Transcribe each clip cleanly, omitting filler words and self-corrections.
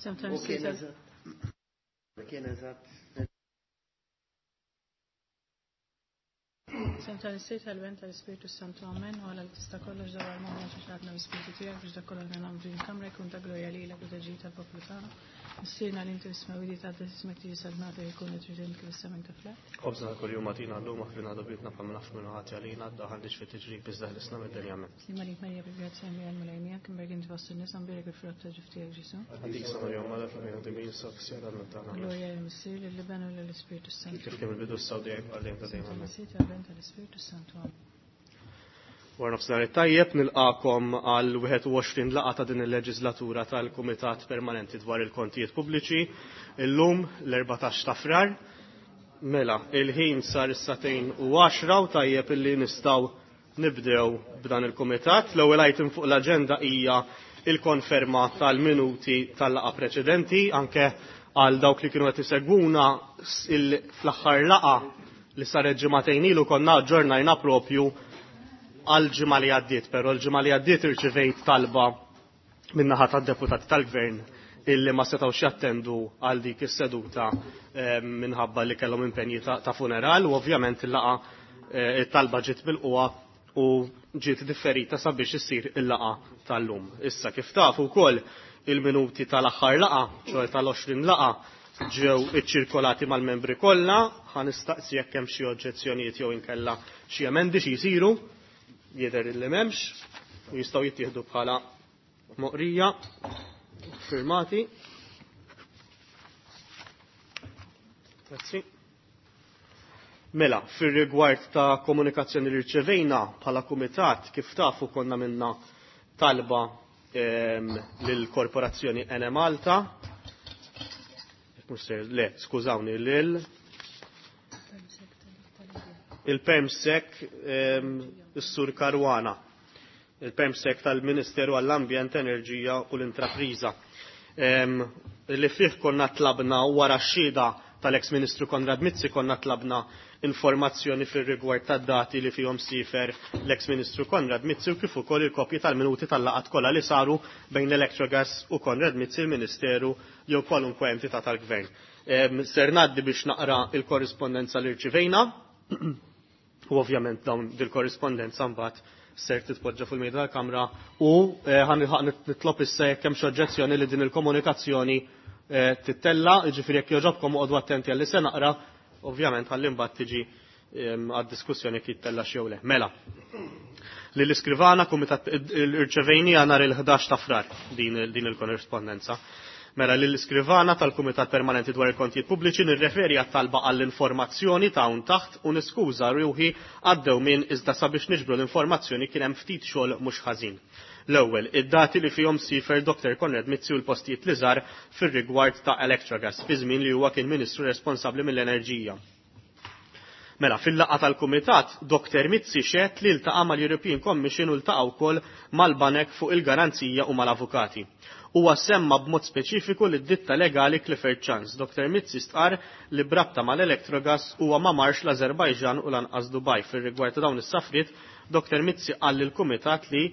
Sometimes Kien eżatt. Sem tal-Isir tal-Ben tal-Ispirtu Santu Amen, u għala li tista' kollox dawar moħħna xi ħadna l-Ispirtu tiegħek biex dak kollu li nagħmlu din il-kamra jkun ta' glorja lilek u ta' tal-poplu tagħna. Missierna li inti fis-smewwiet jitqaddes ismek tiġi saltnatek ikun li trid int kif is-sema anke fl-art. Ħobżna ta' kuljum agħtina llum aħfirna dubitna bħalma naħfru minn ħati għalina, daħalniex fit-tiġrib iżda ħlisna mid-dinja. Amen. Sliem għalik Marija bil-grazzja Mija l-Mulej miegħek, imbierek inti fost in-nisa, mbierek il-frott ta' ġuf tiegħek Ġesù. Qaddisa Marija Omm Alla fl-ħajja timin sa fis-siegħa tal-mewt tagħna. Amen. Glorja lill-Missier, lill-Iben u lill-Ispirtu s-Santu. Kif kien mill-bidu issa u dejjem għal dejjem ta' dejjem. Amen. Tal-Missier, tal-Iben, tal-Ispirtu s-Santu. Amen. Wara nofsinhar it-tajjeb nilqakom għal 21 laqgħa ta' din il-leġislatura tal-Kumitat Permanenti dwar il-Kontijiet Pubbliċi. Illum l-14 ta' Frar. Mela, il-ħin sar is-sagħtejn u għaxra u tajjeb illi nistgħu nibdew b'dan il-kumitat. L-ewwel item fuq l-aġenda hija il-konferma tal-minuti tal-laqgħa preċedenti anke għal dawk li kienu qed isegwuna fl-aħħar laqgħa li saret ġimagħtejn ilu konna aġġornajna propju għal ġimgħa li għaddiet, però l-ġimgħa li għaddiet irċivejt talba min-naħa tad-deputati tal-gvern illi ma setgħux jattendu għal dik is-seduta eh, minħabba li kellhom impenji ta' funeral u ovvjament il-laqa eh, it-talba ġiet bil-qwa u ġiet differita sabiex issir il-laqa tal-lum. Issa kif tafu wkoll il-minuti tal-aħħar laqa, ċoħe tal-20 laqa, ġew iċċirkolati mal-membri kollha, ħa nistaqsi jekk hemm xi oġġezzjonijiet jew inkella xi emendi xi jsiru, jidher illi m'hemmx, u jistgħu jittieħdu bħala moqrija, firmati. Grazzi. Mela, fir-rigward ta' komunikazzjoni li rċevejna bħala kumitat, kif tafu konna minna talba lill-korporazzjoni Ene Malta. Le, skużawni, lil il-Permsec is-Sur Caruana, il-Permsec tal-Ministeru għall-Ambjent, Enerġija u l-Intrapriża. Li fih konna tlabna wara x-xhieda tal-ex Ministru Konrad Mizzi konna tlabna informazzjoni fir-rigward tad-dati li fihom sifer l-ex Ministru Konrad Mizzi u kif ukoll il-kopji tal-minuti tal-laqgħat kollha li saru bejn l-Electrogas u Konrad Mizzi il-Ministeru jew kwalunkwe entità tal-Gvern. Ser ngħaddi biex naqra il-korrispondenza li rċivejna u ovvjament dawn dil-korrispondenza mbagħad ser titpoġġa fuq il-mejda tal-Kamra u eh, nitlob issa jekk hemm xi oġġezzjoni li din il-komunikazzjoni eh, tittella, jiġifieri jekk jogħġobkom oqogħdu attenti għalli se naqra, ovvjament ħalli mbagħad tiġi għad-diskussjoni jekk jittella jew le. Mela. Li l-iskrivana kumitat irċevejnija nhar il-11 ta' frar din il-korrispondenza. Mela li l-iskrivana tal-Kumitat Permanenti dwar il-Kontijiet Pubbliċi nirreferi għat-talba għall-informazzjoni ta' hawn taħt u niskuża ruħi għad-dewmien iżda sabiex niġbru l-informazzjoni kien hemm ftit xogħol mhux ħażin. L-ewwel, id-dati li fihom siefer Dr. Konrad Mizzi u l-postijiet li żar fir-rigward ta' Electrogas fi żmien li huwa kien Ministru responsabbli mill-Enerġija. Mela, fil-laqgħa tal-Kumitat, Dr. Mizzi xehed li ltaqa' mal-European Commission u ltaqa' wkoll mal-banek fuq il-garanzija u mal-avukati. Huwa semma b'mod speċifiku lid-ditta legali Clifford Chance. Dr. Mizzi stqarr li b'rabta mal-Electrogas huwa ma marx l-Azerbajġan u lanqas Dubai. Fir-rigward ta' dawn is-safriet, Dr. Mizzi qal lill-Kumitat li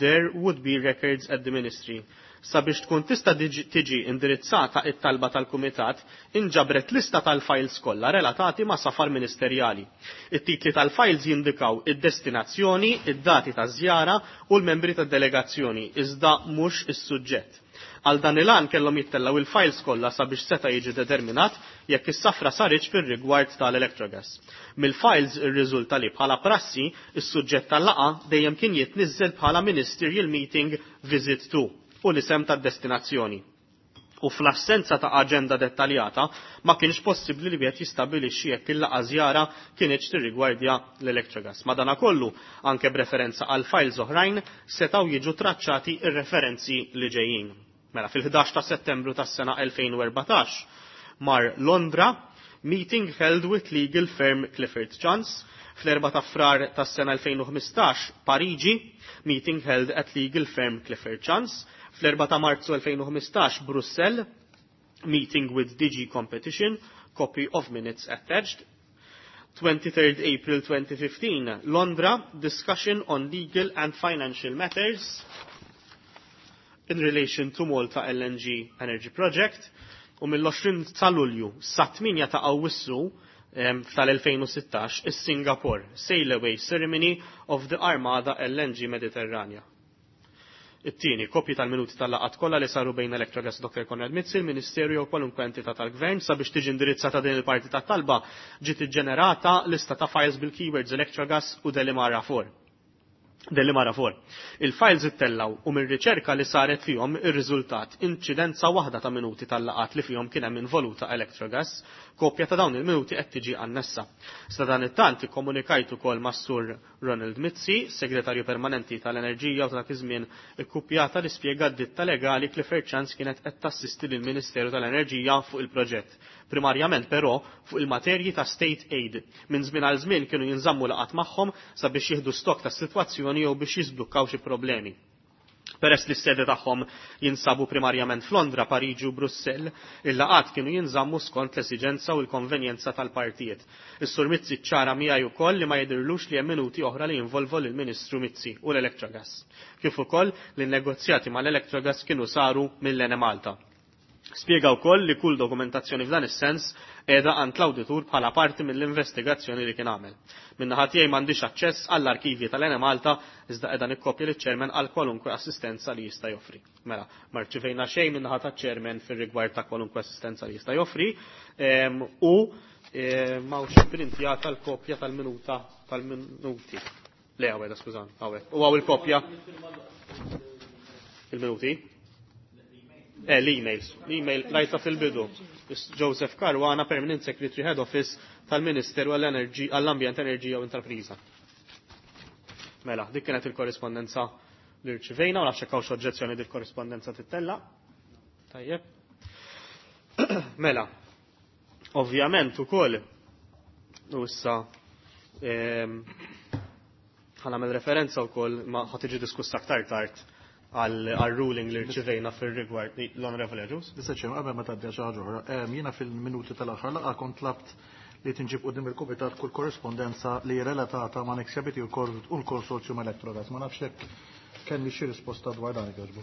there would be records at the ministry. Sabiex tkun tista' tiġi indirizzata it-talba tal-Kumitat, inġabret lista tal-files kollha relatati ma' safar ministerjali. It-titli tal-files jindikaw id-destinazzjoni, id-dati taż-żjara u l-membri tad-delegazzjoni, iżda mhux is-suġġett. Għal dan il-għan kellhom jittellgħu il-files kollha sabiex seta' jiġi determinat jekk is-safra saritx fir-rigward tal-Electrogas. Mill-files irriżulta li bħala prassi is-suġġett tal-laqgħa dejjem kien jitniżżel bħala Ministerial Meeting Visit 2 u l-isem tad-destinazzjoni. U fl-assenza ta' aġenda dettaljata ma kienx possibbli li wieħed jistabbilixxi jekk il-laqgħa żjara kinitx tirrigwardja l-Electrogas. Madanakollu, anke b'referenza għal files oħrajn, setgħu jiġu traċċati r-referenzi li ġejjin. Mela fil-11 ta' Settembru tas-sena 2014 mar Londra, meeting held with legal firm Clifford Chance. Fl-4 ta' Frar tas-sena 2015 Pariġi, meeting held at legal firm Clifford Chance. Fl-4 ta' Marzu 2015 Brussell, meeting with DG Competition. Copy of minutes attached. 23rd April 2015, Londra, discussion on legal and financial matters in relation to Malta LNG Energy Project. U mill-20 ta' Lulju sa 8 ta' Awwissu tal-2016 is-Singapore Sail Away Ceremony of the Armada LNG Mediterranea. It-tieni, kopji tal-minuti tal-laqgħat kollha li saru bejn Electrogas Dr. Konrad Mizzi, il-Ministeru jew kwalunkwe entità tal-Gvern sabiex tiġi indirizzata din il-parti tat-talba ġiet iġġenerata lista ta' files bil-keywords Electrogas u Delimara 4. Delimara 4. Il-files ittellaw u mir-riċerka li saret fihom ir-riżultat inċidenza waħda ta' minuti tal-laqat li fihom kien hemm involuta Electrogas, kopja ta' dawn il-minuti qed tiġi annessa. Sa dan it-tant ikkomunikajt ukoll mas-Sur Ronald Mizzi, segretarju permanenti tal-Enerġija u ta' dak iż-żmien ikkupjata li spjega d-ditta legali Clifford Chance kienet qed tassisti lill-Ministeru tal-Enerġija fuq il-proġett. Primarjament però fuq il-materji ta' state aid. Minn żmien għal żmien kienu jinżammu laqgħat magħhom sabiex jieħdu stok tas-sitwazzjoni jew biex jiżblukkaw xi problemi. Peress li s-sede tagħhom jinsabu primarjament f'Londra, Pariġi u Brussell, il-laqgħat kienu jinżammu skont l-esiġenza u l-konvenjenza tal-partijiet. Is-Sur Mizzi ċċara miegħi wkoll li ma jidhirlux li hemm minuti oħra li jinvolvu lill-Ministru Mizzi u l-Electrogas, kif ukoll li n-negozjati mal-Electrogas kienu saru mill-Enemalta. Spjega wkoll li kull dokumentazzjoni f'dan is-sens qiegħda għand l-awditur bħala parti mill-investigazzjoni li kien għamel. Min-naħa tiegħi m'għandix aċċess għall-arkivji tal-Enemalta iżda qiegħda nikkopja liċ-chairman għal kwalunkwe assistenza li jista' joffri. Mela, ma rċivejna xejn min-naħa taċ-chairman fir-rigward ta' kwalunkwe assistenza li jista' joffri u m'hawnx printjata l-kopja tal-minuta tal-minuti. Le, għawek, skużani, għawek. U għaw il-kopja. Il-minuti? L-emails. L-email rajta fil-bidu. Joseph Caruana, Permanent Secretary Head Office tal-Ministeru għall-Ambjent, Enerġija u Intrapriża. Mela, dik kienet il-korrispondenza li rċivejna, u nafx hekk hawnx oġġezzjoni dik korrispondenza tittella. Tajjeb. Mela, ovvjament ukoll u issa ħanamel referenza wkoll ma ħa tiġi diskussa aktar tard għal ruling li rċivejna fir-rigward l-Onorevoli Agius. Issa ċem, qabel ma tgħaddi xi ħaġa oħra, jiena fil-minuti tal-aħħar laqgħa kont tlabt li tinġib quddiem il-kumitat kull korrispondenza li relatata ma' Nexia BT u l-konsorzju ma' Electrogas. Ma nafx hekk kelli xi risposta dwar dan jogħġbu.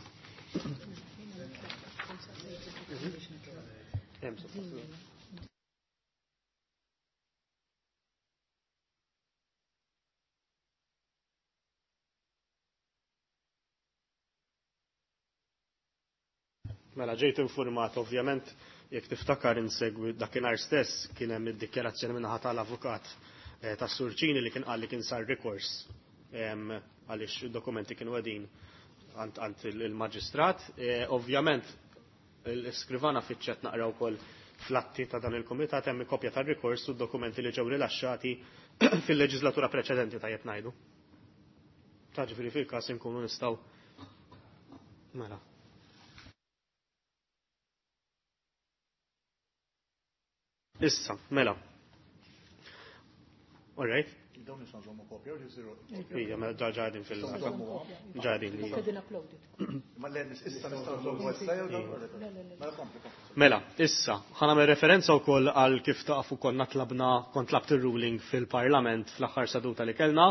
Mela ġejt informat ovvjament jekk tiftakar insegwi dakinhar stess kien hemm id-dikjarazzjoni min-naħa tal-avukat tas-Surċini li kien qal li kien sar rikors għaliex id-dokumenti kienu qegħdin għand il-maġistrat. Ovvjament l-iskrivana fiċċet naqra wkoll fl-atti ta' dan il-kumitat hemm kopja tar-rikors u d-dokumenti li ġew rilaxxati fil-leġislatura preċedenti tajjeb ngħidu. Ta' ġifieri fil-każ inkunu nistgħu mela. Issa, mela. All right. Dawn nistgħu nżommu kopja u jisiru. Ija, mela ġa ġadin fil- ġadin li. Qegħdin uploaded. Ma le, issa nistgħu nżommu issa jew dawn? Mela kompli, kompli. Mela, issa, ħa nagħmel referenza wkoll għal kif tafu konna tlabna, kont tlabt ir-ruling fil-Parlament fl-aħħar seduta li kellna,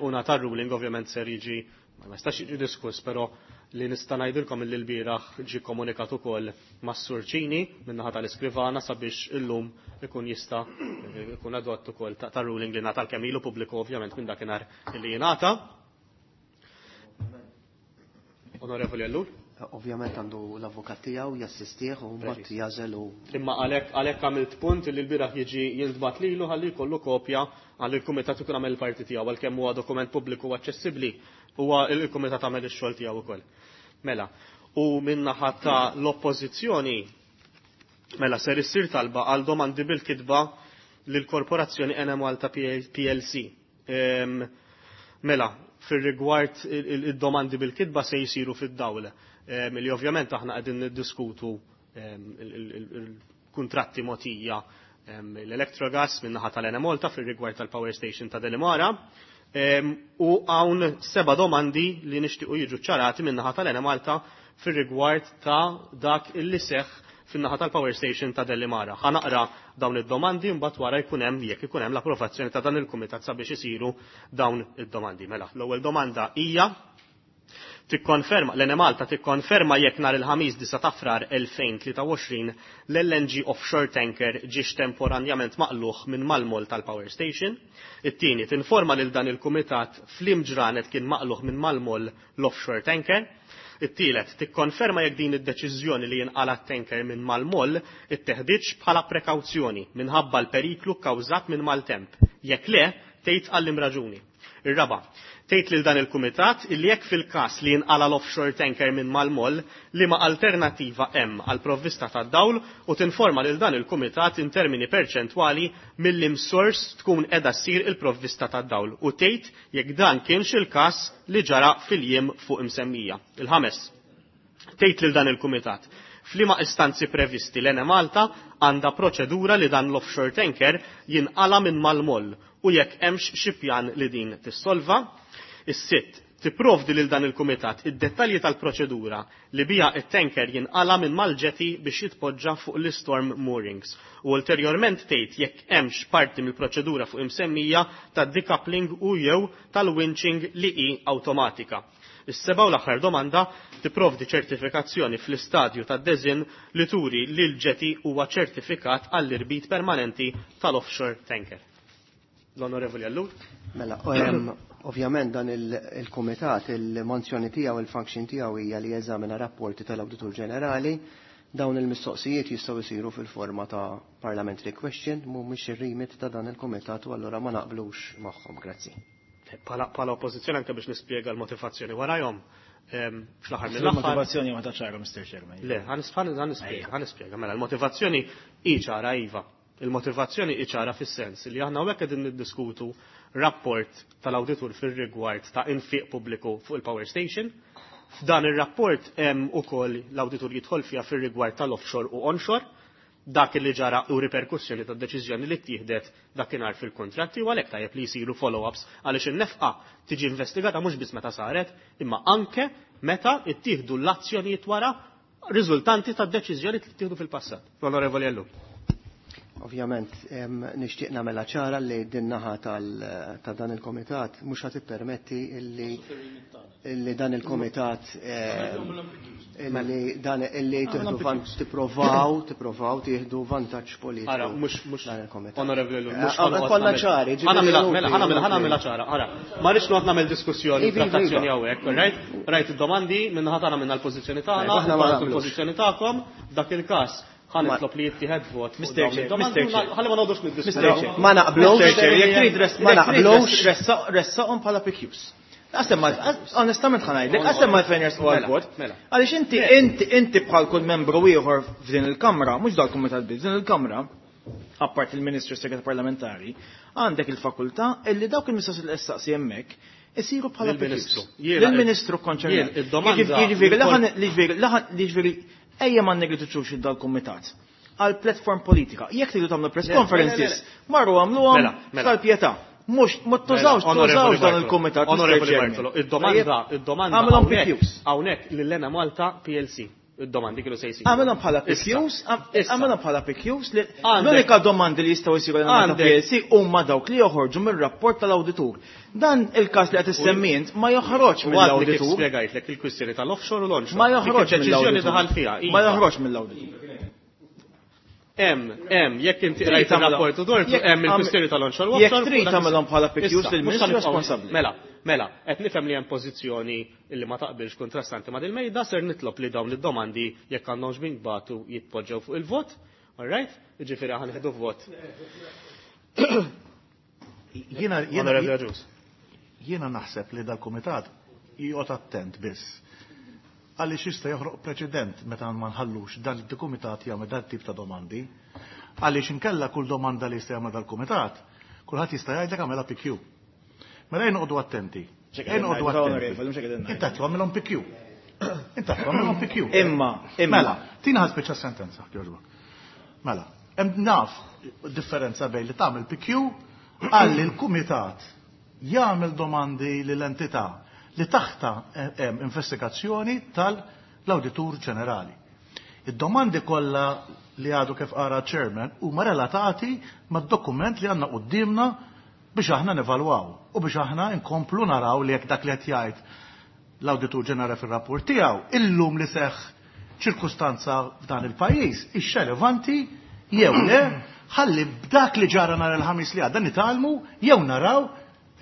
u nata ruling ovvjament ser jiġi, ma jistax jiġi diskuss, però li nista' ngħidilkom illi l-bieraħ ġie komunikat ukoll mas-Sur Ċini min-naħa tal-iskrivana sabiex illum ikun jista' ikun adott ukoll ta' ruling li ngħata l-kemm ilu pubbliku ovvjament minn dakinhar li jingħata. Onorevoli Ellul. Ovvjament għandu l-avukat tiegħu jassistih u mbagħad jażel u Imma għalhekk għamilt punt li l-bieraħ jiġi jintbagħat lilu ħalli jkollu kopja għal il-kumitat ikun għamel il-parti tiegħu għalkemm huwa dokument pubbliku u aċċessibbli huwa il-kumitat għamel ix-xogħol tiegħu ukoll. Mela, u min-naħa ta' l-oppożizzjoni mela ser issir talba għal domandi bil-kitba lill-Korporazzjoni Enemalta PLC. Mela, fir-rigward il-domandi bil-kitba se jisiru fid-dawl. Li ovvjament aħna qegħdin niddiskutu il-kuntratti mogħtija l-Electrogas min-naħa tal-Enemalta fir-rigward tal-Power Station ta' Delimara. U hawn 7 domandi li nixtiequ jiġu ċarati min-naħa tal-Enemalta fir-rigward ta' dak illi seħħ fin-naħa tal-power station ta' Delimara. Ħa naqra dawn id-domandi mbagħad wara jkun hemm jekk ikun hemm l-approvazzjoni ta' dan il-kumitat sabiex isiru dawn id-domandi. Mela, l-ewwel domanda hija tikkonferma l-Enemalta tikkonferma jekk nhar il-Ħamis 9 ta' Frar 2023 l-LNG offshore tanker ġiex temporanjament maqluħ minn mal-mol tal-power station. It-tieni tinforma lil dan il-kumitat f'liem ġranet kien maqluħ minn mal-mol l-offshore tanker. It-tielet tikkonferma jekk din id-deċiżjoni li jinqala tanker minn mal-mol itteħdiġ bħala prekawzjoni minħabba l-periklu kkawżat minn maltemp. Jekk le, tgħid għal raġuni. Ir-raba, tgħid lil dan il-kumitat illi jekk fil-każ li jinqala l-offshore tanker minn mal-mol liema alternattiva hemm għal provvista tad-dawl u tinforma lil dan il-kumitat in termini perċentwali mill-imsors tkun qiegħda ssir il-provvista tad-dawl u tgħid jekk dan kienx il-każ li ġara fil-jiem fuq imsemmija. Il-ħames, tgħid lil dan il-kumitat f'liema istanzi previsti l-Enemalta għandha proċedura li dan l-offshore tanker jinqala minn mal-moll u jekk hemmx xi pjan li din tissolva. Is-sitt, tipprovdi lil dan il-kumitat id-dettalji tal-proċedura li bija it-tanker jinqala minn mal-jetty biex jitpoġġa fuq l-storm moorings u ulterjorment tgħid jekk hemmx parti mill-proċedura fuq imsemmija tad-decoupling u jew tal-winching li hi awtomatika. Is-seba' u l-aħħar domanda tipprovdi ċertifikazzjoni fl-istadju tad-design li turi li l-jetty huwa ċertifikat għall-irbit permanenti tal-offshore tanker. L-Onorevoli Ellul. Mela, ovvjament dan il-kumitat, il-manzjoni tiegħu, il-function tiegħu hija li jeżamina rapporti tal-Awditur Ġenerali. Dawn il-mistoqsijiet jistgħu jsiru fil-forma ta' parliamentary question, mhumiex ir-remit ta' dan il-kumitat u allura ma naqblux magħhom. Grazzi. Pala oppożizzjoni anke biex nispjega l-motivazzjoni warajhom, fl-aħħar mill-aħħar. Il-motivazzjoni ma ċara, Mr. Chairman. Le, ħa nispjega. Mela, l-motivazzjoni hi ċara iva. Il-motivazzjoni hi ċara fis-sens li aħna hawnhekk qegħdin niddiskutu rapport tal-awditur fir-rigward ta' infiq pubbliku fuq il-power station. F'dan ir-rapport hemm ukoll l-awditur jidħol fiha fir-rigward tal-offshore u onshore, dak li ġara u riperkussjoni tad deċiżjoni li ttieħdet dakinhar fil-kontratti u għalhekk tajjeb li jsiru follow-ups għaliex in-nefqa tiġi investigata mhux biss meta saret, imma anke meta ttieħdu l-azzjonijiet wara riżultanti tad-deċiżjoni li ttieħdu fil-passat. L-Onorevoli Ellul. Ovvjament, nixtieq nagħmilha ċara li din naħa ta' dan il-komitat mhux ħa tippermetti illi dan il-komitat illi dan illi tieħdu tipprovaw tieħdu vantaġġ politiku. Ara, mhux dan il-komitat. Onorevoli Ellul, mhux Kollha ċari, ġifieri Mela, ħa nagħmilha ċara, ara. Ma rridx noqgħod nagħmel diskussjoni Ivi, ivi, trattazzjoni iva. hawnhekk, right? Rajt id-domandi, minnaħa tagħna minna l-pożizzjoni tagħna, Aħna ma rajt naqblux. il-pożizzjoni tagħkom, f'dak il-każ ħa nitlob li jittieħed vot fuq Mr. dawn Chair, id-domandi Mr. Chair. ħalli ma noqogħdux niddiskutu. Mr. Chair. Ma naqblux. Mr. Chair, jekk trid Ma naqblux. ressaqhom bħala PQs. Għasem ma, onestament ħa ngħidlek, għasem ma fejn jersqu għal-vot. Mela, mela. Għaliex inti bħal kull membru ieħor f'din il-Kamra, mhux dal-Kumitat biss, f'din il-Kamra, apart il-Ministru Segret Parlamentari, għandek il-fakultà illi dawk il-mistoqsijiet li issaqsi hemmhekk isiru bħala Lill-Ministru. PQs. Jiena- Lill-Ministru konċernat. Jien id-domanda- Jiġifieri, jiġifieri, jiġifieri, ejja ma negliġuċux dal-Kumitat għal platform politika. Jekk tridu tagħmlu press Le, le, le, conferences, marru għamluhom Mela, mela. tal-pjetà. Mhux ma tużawx Mela, tużawx dan Bartolo. il-kumitat. Mr. Onorevoli Chairman. Bartolo, id-domanda Għamilhom hawnhekk- PQs. Hawnhekk lil Enemalta PLC. Id-domandi kienu se jsiru. Għamilhom bħala Issa, PQs, issa. għamilhom bħala PQs li Għandek- l-unika domandi li jistgħu jsiru lil Malta Għandek- PLC huma dawk li joħorġu mir-rapport tal-awditur. Dan il-każ li qed issemmint ma joħroġ U għadni kif mill-awditur. spjegajtlek il-kwistjoni tal-offshore u l-onshore. Ma Dik joħroġ id-deċiżjoni mill-awditur. daħal fiha. Ma iva. joħroġ mill-awditur. Hemm, jekk inti Trid rajt tagħmilhom- ir-rapport u dortu, jekk hemm il-kwistjoni tal-onshore u jekk offshore. trid u dak- tagħmilhom bħala PQs Issa, lill-Ministru mhux ħanibqgħu- responsabbli. Mela, qed nifhem li hemm pożizzjoni li ma taqbilx kontrastanti ma' dil-mejda, ser nitlob li dawn id-domandi jekk għandhomx binbatu jitpoġġew fuq il-vot. All right? Jiġifieri ħa nieħdu vot. Jiena Onorevoli Agius. jiena naħseb li dal-kumitat joqgħod attent biss. Għaliex jista' joħroq preċedent meta ma nħallux dan il-kumitat jagħmel dan tip ta' domandi. Għaliex inkella kull domanda li jista' jagħmel dal-kumitat, kulħadd jista' jgħidlek għamela PQ. Mela jien noqogħdu attenti. Jien noqogħdu attenti. Onorevoli, mhux hekk qegħdin ngħidu. Inta għamilhom PQ. Inta għamilhom PQ. Imma. Mela, tina ħa spiċċa sentenza, jogħġbok. Mela, hemm naf differenza bejn li tagħmel PQ għalli l-kumitat jagħmel domandi lill-entità li taħta hemm investigazzjoni tal-Awditur Ġenerali. Id-domandi kollha li għadu kif qara chairman huma relatati mad-dokument li għandna quddiemna biex aħna nevalwaw u biex aħna nkomplu naraw li jekk dak li qed jgħid l-Awditur Ġenerali fir-rapport tiegħu illum li seħħ ċirkustanza f'dan il-pajjiż hix relevanti jew le ħalli b'dak li ġara nhar il-Ħamis li għadda nitgħallmu jew naraw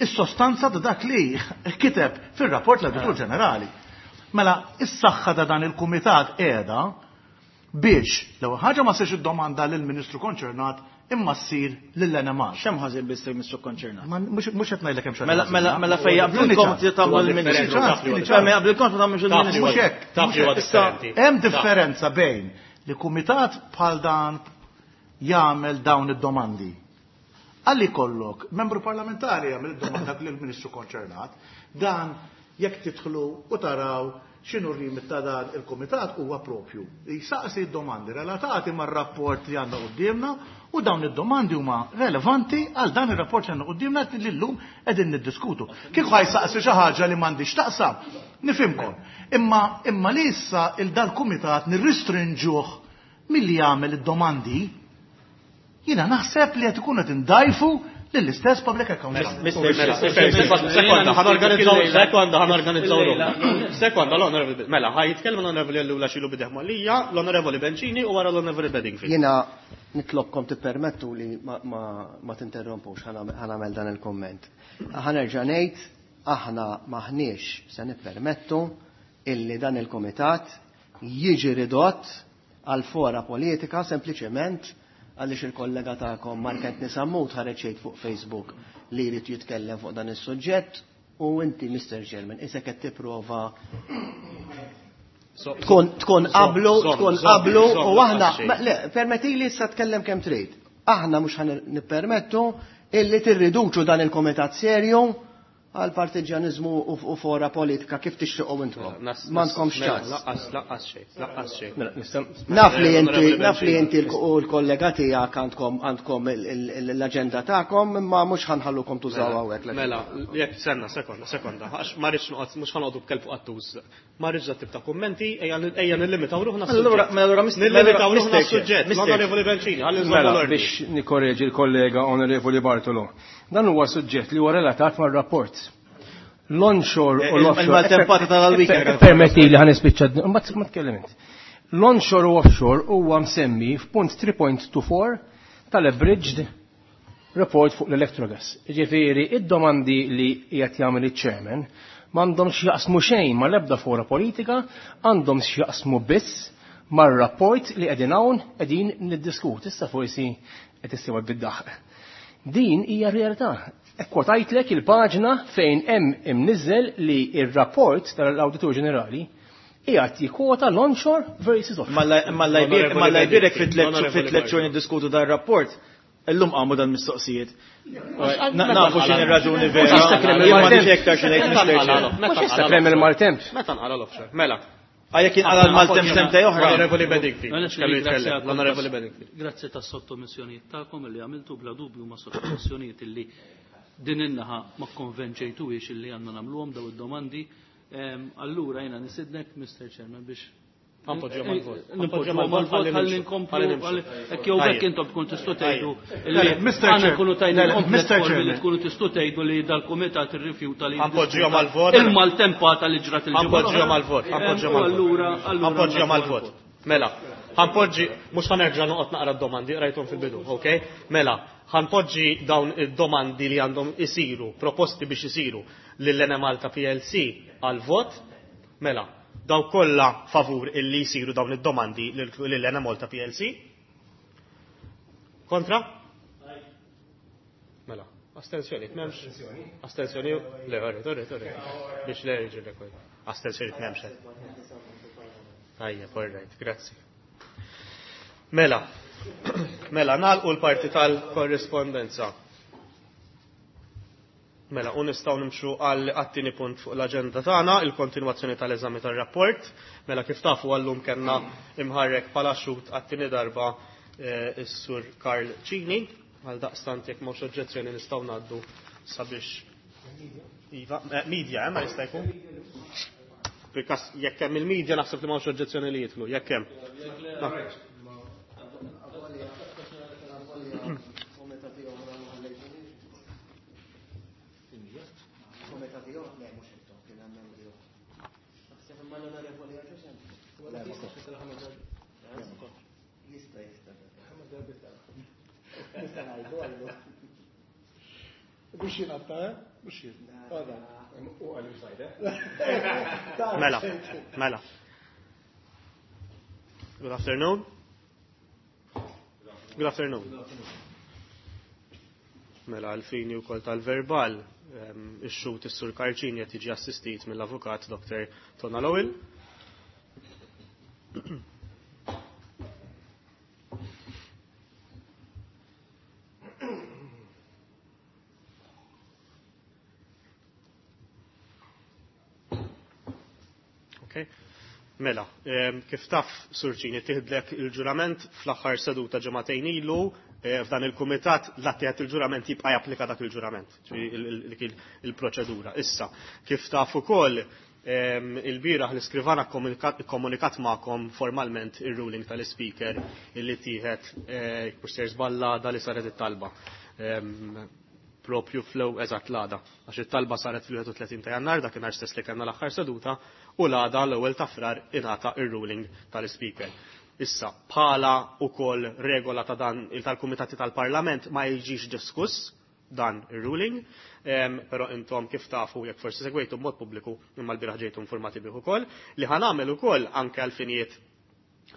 is-sostanza ta' dak li kiteb fir-rapport l-Awditur Ġenerali. Mela, is-saħħa ta' dan il-kumitat qiegħda biex l-ewwel ħaġa ma ssirx id-domanda lill-Ministru konċernat imma ssir lill-NMR. X'hemm ħażin biss il-Ministru konċernat? Mhux qed ngħidlek hemm xi Mela mela mela fejn jaqblilkom tagħmlu l-Ministru. Fejn jaqblilkom tagħmlu l-Ministru. Mhux hekk. Hemm differenza bejn li kumitat bħal dan jagħmel dawn id-domandi. Għalli kollok, membru parlamentari jagħmel id-domanda lill-Ministru konċernat, dan jekk tidħlu u taraw x'inhu r-rimit ta' dan il-kumitat huwa propju. Jsaqsi d-domandi relatati mar-rapport li għandna quddiemna u dawn id-domandi huma relevanti għal dan ir-rapport li għandna quddiemna li llum qegħdin niddiskutu. Kieku ħajsaqsi xi ħaġa li m'għandix taqsam, nifhimkom. Imma imma li issa il dal-kumitat nirristrinġuh milli jagħmel id-domandi, jiena naħseb li qed ikun qed indajfu lill-istess Public Accounts. Sekonda, ħa norganizzaw, sekonda, ħa norganizzaw Sekonda, l-Onorevoli, mela, ħa jitkellem l-Onorevoli Ellul xilu b'idejh mgħollija, l-Onorevoli Bencini u wara l-Onorevoli Bedingfield. Jiena nitlobkom tippermettu li ma tinterrompux ħa nagħmel dan il-komment. Ħa nerġa' ngħid, aħna maħniex se nippermettu illi dan il-komitat jiġi ridott għal fora politika sempliċement għaliex il-kollega tagħkom Mark Anthony Sammut ħareġ jgħid fuq Facebook li jrid jitkellem fuq dan is-suġġett u inti Mr. Chairman isek qed tipprova tkun qablu, tkun qablu u aħna le, permettili issa tkellem kemm trid. Aħna mhux ħa nippermettu illi tirriduċu dan il-komitat serju għal partiġanizmu u fora politika kif tixtiequ intom. M'għandkomx ċans. Lanqas, lanqas xejn, lanqas xejn. Naf li inti, naf li inti u l-kollega tiegħek għandkom l-aġenda tagħkom, imma mhux ħa nħallukom tużaw hawnhekk. Mela, jekk senna, sekonda, sekonda, għax ma rridx noqgħod, mhux ħa noqogħdu b'kelb fuq qattus. Ma rridx dat tip ta' kummenti, ejja nillimitaw ruħna Allura, mela, allura, Nillimitaw ruħna Mr. s-suġġett. Mr. L-Onorevoli Bencini, ħalli nżommu Mela, l-ordni. biex nikorreġi l-kollega Onorevoli Bartolo. Dan huwa suġġett li huwa relatat mar-rapport. L-onshore u l-offshore. Il-maltempata tal-weekend. Permetti li ħa nispiċċa, ma tkellem int. L-onshore u offshore huwa msemmi f'punt 3.24 tal-abridged report fuq l-Electrogas. Ġifieri, id-domandi li qiegħed jagħmel iċ-chairman m'għandhom x'jaqsmu xejn mal-ebda fora politika, għandhom x'jaqsmu biss mar-rapport li qegħdin hawn qegħdin niddiskutu. Issa forsi qed issibha bid-daħq. Din hija realtà. Ekkwotajtlek il-paġna fejn hemm imniżżel li ir-rapport tal-Awditur Ġenerali qiegħed jikkwota l-onshore versus offshore. Imma l-lajbirek fit-tliet xhur niddiskutu dan rapport, illum qamu dan mistoqsijiet. Nafu x'in ir-raġuni vera. Mhux issa krem Jien m'għandix il-maltemp. iktar xi ngħid Mr. Chair. Mhux issa krem il-maltemp. Meta nqala l-offshore? Mela. Għajja kien qala l-maltemp sentej oħra. L-Onorevoli Bedingfield. Mela, Kellu jitkellem. ringrazzjakom L-Onorevoli Bedingfield. Grazzi tas sottomissjonijiet tagħkom li għamiltu bla dubju ma sottomissjonijiet illi din in-naħa ma konvenċejtuhiex illi għandna nagħmluhom daw id-domandi. Allura jiena nisidnek, Mr. Chairman, biex Ħa npoġġuhom għal-vot. Nipoġġuhom għal-vot ħalli nkomplu. Ħalli nimxu. Hekk jew bekk intom tkun tistgħu tgħidu Le, li Mr. aħna Chair. nkunu tajna Le, le, l Mr. platform li Chairman. tkunu tistgħu tgħidu li dal-kumitat irrifjuta li Ħa npoġġuhom għal-vot. Il-maltempata li ġrat il-ġimgħa. Ħa npoġġuhom għal-vot. Allura Ħa npoġġuhom għal-vot. allura Ħa npoġġuhom għal-vot. Mela, ħa npoġġi, mhux ħa nerġa' noqgħod naqra d-domandi, rajthom fil-bidu, ok? Mela, ħa npoġġi dawn id-domandi li għandhom isiru, proposti biex isiru lill-Enemalta PLC għal-vot. Mela, daw kollha favur illi jisiru dawn id-domandi lill-Enemalta PLC. Kontra? Mela, astensjoni, m'hemmx. Astensjoni, le, orrit, orrit, orrit. Biex le jiġi l Astensjoni m'hemmx. Tajjeb, all right, grazzi. Mela, mela, nagħlqu l-parti tal-korrispondenza. Mela, u nistgħu nimxu għal għat-tieni punt fuq l-aġenda tagħna, il-kontinwazzjoni tal-eżami tar-rapport. Mela, kif tafu għallum kellna imħarrek bħala xhud għat-tieni darba is-Sur Karl Cini. Għal daqstant jekk m'hawnx oġġezzjoni nistgħu ngħaddu sabiex Iva, media, ma jista' jkun? Bikas jekk hemm il-medja naħseb li m'hawnx oġġezzjoni li jidħlu, jekk hemm. Biex jingħatta, eh? Biex jingħatta. Mela, mela. Good afternoon. Good afternoon. Mela, għal-fini u kol tal-verbal, ix-xut is-sur Karċini qed jiġi assistit mill-avukat Dr. Tona Lowell. Okay. Mela, kif taf, Surċini, tiħdlek il-ġurament fl-aħħar seduta ġematejn ilu, f'dan il-kumitat l-attijat il-ġurament jibqa' japplika dak il-ġurament, il-proċedura. Issa, kif taf ukoll il-bieraħ l-iskrivana komunikat magħkom formalment il-ruling tal-speaker illi tieħed kurser żballada li saret it-talba. Propju flow eżatt l-għada. Għax it-talba saret fil-31 ta' jannar, dakinhar stess li kellna l-aħħar seduta, u l-għada l-ewwel ta' frar ingħata ir-ruling tal-speaker. Issa, bħala ukoll regola ta' dan tal-Kumitati tal-Parlament ma jiġix diskuss dan ir-ruling, però intom kif tafu jekk forsi segwejtu b'mod pubbliku imma l-bieraħ ġejtu informati bih ukoll, li ħanamel ukoll anke għal-finijiet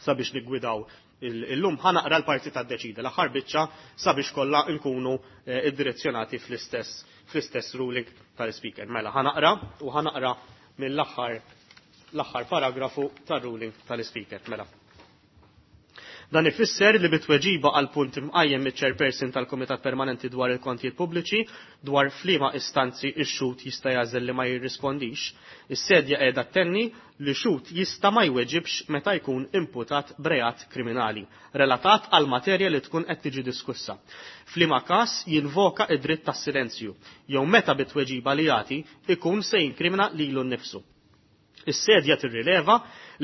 sabiex niggwidaw illum ħanaqra l-parti ta' deċida l-aħħar biċċa sabiex kollha nkunu iddirezzjonati fl-istess ruling tal-speaker. Mela ħanaqra u ħanaqra mill-aħħar l-aħħar paragrafu tar-ruling tal-speaker. Mela. Dan ifisser li bitweġiba għal punt imqajjem miċ-chairperson tal-Kumitat Permanenti dwar il-Kontijiet Pubbliċi dwar f'liema istanzi x-xhud jista' jagħżel li ma jirrispondix, is-sedja qiegħda tenni li xhud jista' ma jweġibx meta jkun imputat b'reat kriminali relatat għal materja li tkun qed tiġi diskussa. F'liema każ jinvoka id-dritt tas-silenzju jew meta bitweġiba li jagħti ikun se jinkrimina lilu nnifsu. Is-sedja tirrileva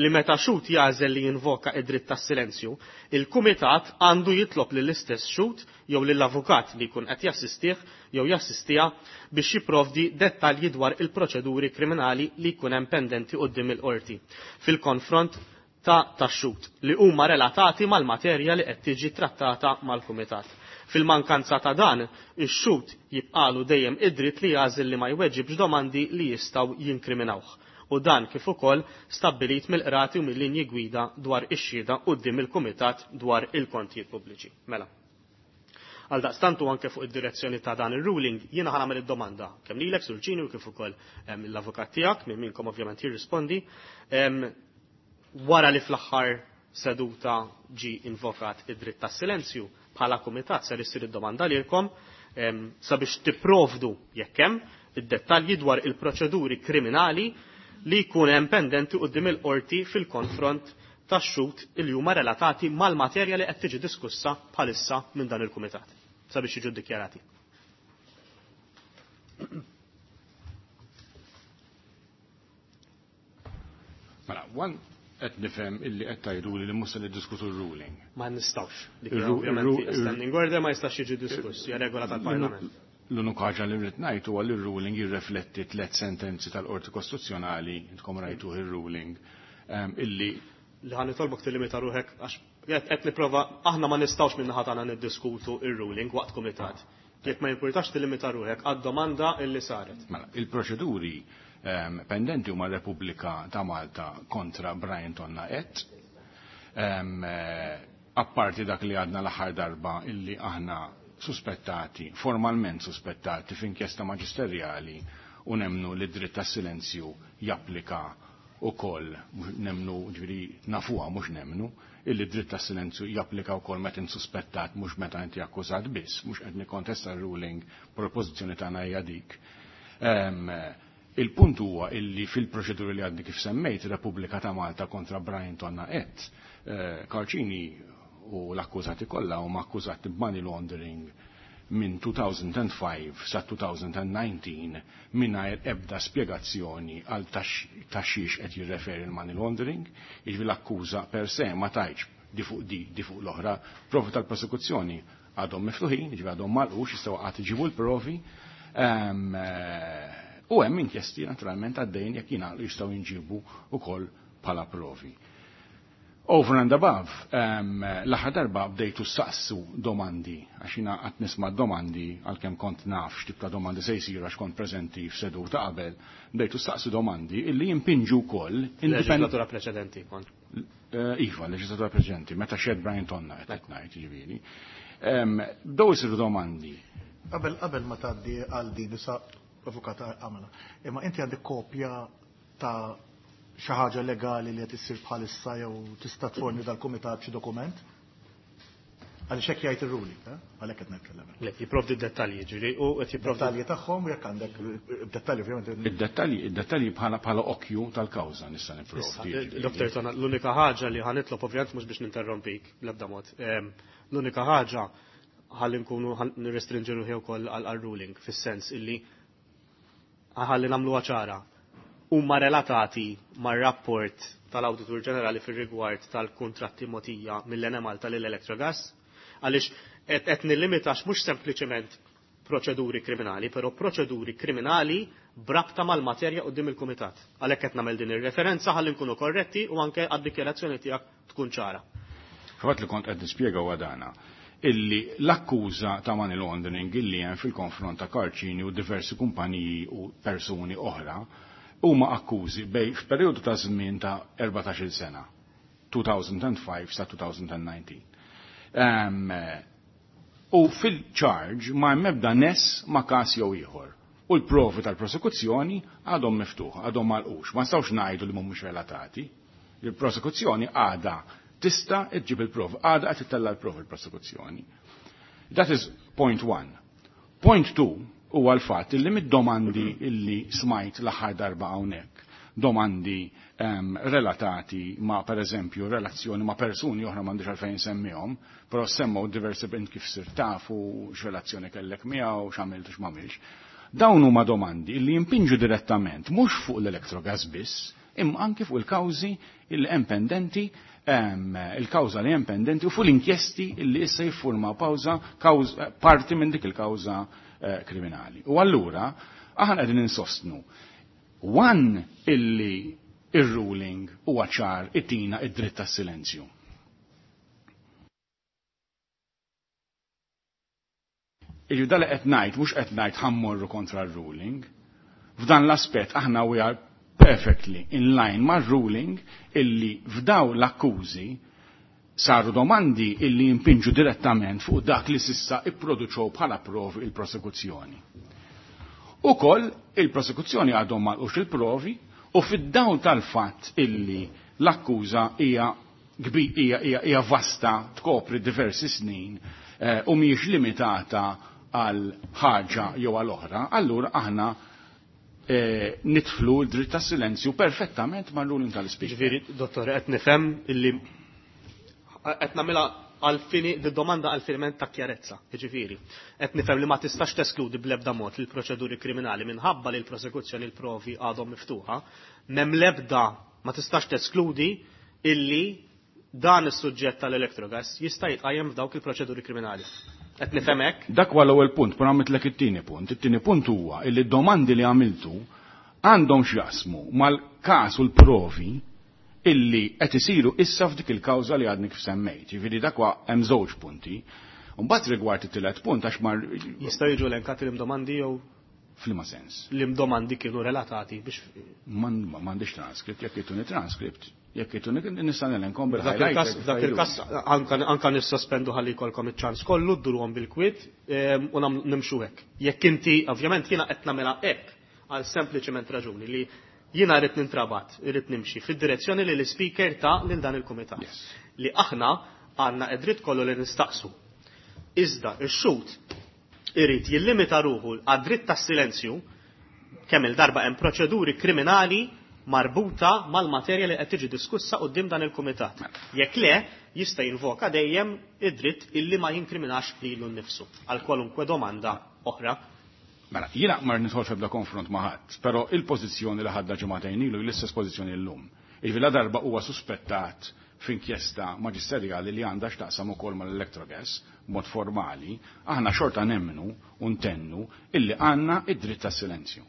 li meta xhud jagħżel li jinvoka id-dritt tas-silenzju, il-kumitat għandu jitlob lill-istess xhud jew lill-avukat li jkun qed jassistih jew jassistiha biex jipprovdi dettalji dwar il-proċeduri kriminali li jkun hemm pendenti quddiem il-qorti fil-konfront ta' tax-xhud li huma relatati mal-materja li qed tiġi trattata mal-kumitat. Fil-mankanza ta' dan, ix-xhud jibqalu dejjem id-dritt li jagħżel li ma jweġibx domandi li jistgħu jinkriminawh. U dan kif ukoll stabbilit mill-qrati u mill-linji gwida dwar ix-xhieda quddiem il-Kumitat dwar il-Kontijiet Pubbliċi. Mela. Għaldaqstant u anke fuq id-direzzjoni ta' dan ir-ruling jiena ħa nagħmel id-domanda kemm lilek Surġini u kif ukoll l-avukat tiegħek minn minkom ovvjament jirrispondi. Wara li fl-aħħar seduta ġi invokat id-dritt tas-silenzju bħala kumitat ser issir id-domanda lilkom sabiex tipprovdu jekk hemm id-dettalji dwar il-proċeduri kriminali li jkun hemm pendenti quddiem il-qorti fil-konfront tax-xhud li huma relatati mal-materja li qed tiġi diskussa bħalissa minn dan il-kumitat sabiex jiġu ddikjarati. Mela, one qed nifhem illi qed tgħidu li mhux se niddiskutu r-ruling. Ma nistgħux. Dik ovvjament standing order ma jistax jiġi diskuss, hija regola tal-Parlament. L-unika ħaġa li rrid ngħid huwa li r-ruling jirrefletti tliet sentenzi tal-Qorti Kostituzzjonali, intkom rajtuh ir-ruling, illi li ħa nitolbok tillimita ruħek għax qed nipprova aħna ma nistgħux minn naħa tagħna niddiskutu ir-ruling waqt kumitat. Jekk ma jimpurtax tillimita ruħek għad-domanda illi saret. Mela, il-proċeduri pendenti huma Repubblika ta' Malta kontra Brian Tonna et. Apparti dak li għadna l-aħħar darba illi aħna suspettati, formalment suspettati f'inkjesta maġisterjali u nemnu li dritt tas silenzju japplika u koll, nemnu ġifieri nafuha mhux nemnu, illi dritt tas silenzju japplika wkoll meta int suspettat mhux meta inti akkużat biss, mhux qed nikkontesta r-ruling propożizzjoni tagħna hija dik. Il-punt huwa illi fil-proċeduri li għadni kif semmejt Repubblika ta' Malta kontra Brian Tonna et, Karl Cini u l-akkużati kollha huma akkużati b'money laundering. minn 2005 sa 2019 mingħajr ebda spjegazzjoni għal taxxix qed jirreferi l-money laundering, jiġifieri l-akkuża per se ma tajtx di fuq di, di fuq l-oħra. Provi tal-prosekuzzjoni għadhom miftuħin, jiġifieri għadhom malqux, jistgħu qatt iġibu l-provi. U hemm inkjesti naturalment għaddejn jekk jingħaqlu jistgħu jinġibu wkoll bħala provi. Over and above, l-aħħar darba bdejtu saqsu domandi, għax jiena qatt nisma' domandi għalkemm kont naf x'tip ta' domandi se jsiru għax kont preżenti f'seduta qabel, bdejtu saqsu domandi illi jimpinġu wkoll Leġislatura preċedenti kont. Iva, leġislatura preċedenti, meta xed Brian Tonna qed ngħid, jiġifieri. Bdew isiru domandi. Qabel ma tgħaddi għal din issa avukata għamela. Imma inti għandek kopja ta' xi ħaġa legali li qed issir bħalissa jew tista' tforni dal-kumitat xi dokument? Għaliex hekk jgħid ir-ruling, eh? Għalhekk qed nitkellem. Le, jipprovdi dettalji, ġifieri, u qed jipprovdi dettalji tagħhom u jekk għandek dettalji ovvjament. Id-dettalji bħala okkju tal-kawża nista' nipprovdi. Dr. Tonna, l-unika ħaġa li ħanitlob ovvjament mhux biex ninterrompik bl-ebda mod. L-unika ħaġa ħalli nkunu nirrestrinġu ruħi wkoll għal ruling fis-sens illi ħalli nagħmluha ċara. Huma relatati mar-rapport tal-Awditur Ġenerali fir-rigward tal-kuntratti mogħtija mill-Enemalta lil Electrogas, għaliex qed nillimitax mhux sempliċement proċeduri kriminali, però proċeduri kriminali brabta mal-materja quddiem il-Kumitat. Għalhekk qed nagħmel din ir-referenza ħalli nkunu korretti u anke għad-dikjarazzjoni tiegħek tkun ċara. Fatt li kont qed nispjega huwa dana illi l-akkuża ta' money laundering illi hemm fil-konfront ta' Karl Cini u diversi kumpaniji u persuni oħra huma akkużi bej f'perjodu ta' żmien ta' 14-il sena, 2005 sa 2019. U fil-charge ma hemm ebda ness ma' każ jew ieħor. U l-provi tal-prosekuzzjoni għadhom miftuħ, għadhom malqux. Ma nistgħux ngħidu li mhumiex relatati. Il-prosekuzzjoni għadha tista' ġġib il-provi, għadha qed ittella' l-provi l-prosekuzzjoni. That is point one. Point two huwa l-fatt illi mid-domandi illi smajt l-aħħar darba hawnhekk, domandi relatati ma' per eżempju relazzjoni ma' persuni oħra m'għandix għalfejn semmihom, però semmew diversi bint kif sir tafu, x'relazzjoni kellek miegħu, x'għamilt u x'm'għamilx. Dawn huma domandi illi jimpinġu direttament mhux fuq l-Electrogas biss, imma anke fuq il-kawżi illi hemm pendenti, il-kawża li hemm pendenti u fuq l-inkjesti illi issa jiffurmaw parti minn dik il-kawża kriminali. U allura aħna qegħdin insostnu one illi ir-ruling huwa ċar itina id-dritt tas-silenzju. Iġu dal qed ngħid mhux qed ngħid ħammorru kontra r-ruling. F'dan l-aspett aħna we are perfectly in line mar-ruling illi f'daw l-akkużi saru domandi illi jimpinġu direttament fuq dak li sissa ipproduċew bħala provi il-prosekuzzjoni. Ukoll il-prosekuzzjoni għadhom malqux il-provi u fid-dawl tal-fatt illi l-akkuża hija hija vasta tkopri diversi snin u mhijiex limitata għal ħaġa jew għal oħra, allura aħna nitflu l-dritt tas silenzju perfettament mal-ruling tal-Speaker. Ġifieri, dottor, qed nifhem illi qed nagħmilha għal-fini, domanda għal-finiment ta' kjarezza, ġifieri. Qed nifhem li ma tistax teskludi bl-ebda mod il-proċeduri kriminali minħabba li l-prosekuzzjoni l-provi għadhom miftuħa, m'hemm l-ebda ma tistax teskludi illi dan is-suġġett tal-Electrogas jista' jitqajjem f'dawk il-proċeduri kriminali. Qed nifhem hekk? Dak huwa l-ewwel punt, però għamiltlek it-tieni punt. It-tieni punt huwa illi d-domandi li għamiltu għandhom x'jaqsmu mal-każ u l-provi illi qed isiru issa f'dik il-kawża li għadni kif semmejt. Jiġifieri dak huwa hemm żewġ punti. Mbagħad rigward it-tielet punt għax mar Jistgħu jiġu elenkati l-domandi jew F'liema sens? L-domandi kienu relatati biex M'għandix transkript, jekk ituni transkript, jekk ituni nista' nelenkom bil-highlight. Dak il-każ anka nissospendu ħalli jkollkom iċ-ċans kollu dduruhom bil-kwiet u nimxu hekk. Jekk inti ovvjament jiena qed nagħmilha hekk għal sempliċement raġuni li jiena rrid nintrabat, irrid nimxi fid-direzzjoni li l-speaker ta' lil dan il-kumitat. Li aħna għandna id-dritt kollu li nistaqsu. Iżda ix-xhud irid jillimita ruħu għad-dritt tas-silenzju kemm il-darba hemm proċeduri kriminali marbuta mal-materja li qed tiġi diskussa quddiem dan il-kumitat. Jekk le, jista' jinvoka dejjem id-dritt illi ma jinkriminax lilu nnifsu għal kwalunkwe domanda oħra. Mela, jiena ma nidħolx f'ebda konfront ma' ħadd, però il-pożizzjoni li ħadna ġimagħtejn ilu hi l-istess pożizzjoni llum. Jiġifieri ladarba huwa suspettat f'inkjesta maġisterjali li għandha x'taqsam ukoll mal-Electrogas b'mod formali, aħna xorta nemmnu u ntennu illi għandna id-dritt tas-silenzju.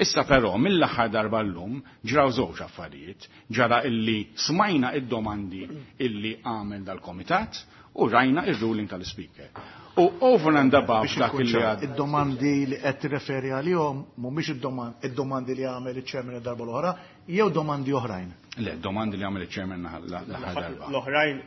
Issa però mill-aħħar darba llum ġraw żewġ affarijiet. Ġara illi smajna id-domandi illi għamel dal-komitat u rajna ir-ruling tal-Speaker. U over and above Biex dak inkun illi ċar, għad id-domandi li qed tirreferi għalihom mhumiex id-domandi li għamel iċ-chairman id-darba l-oħra, jew domandi oħrajn. Le, domandi li għamel iċ-chairman l-aħħar darba. L-oħrajn,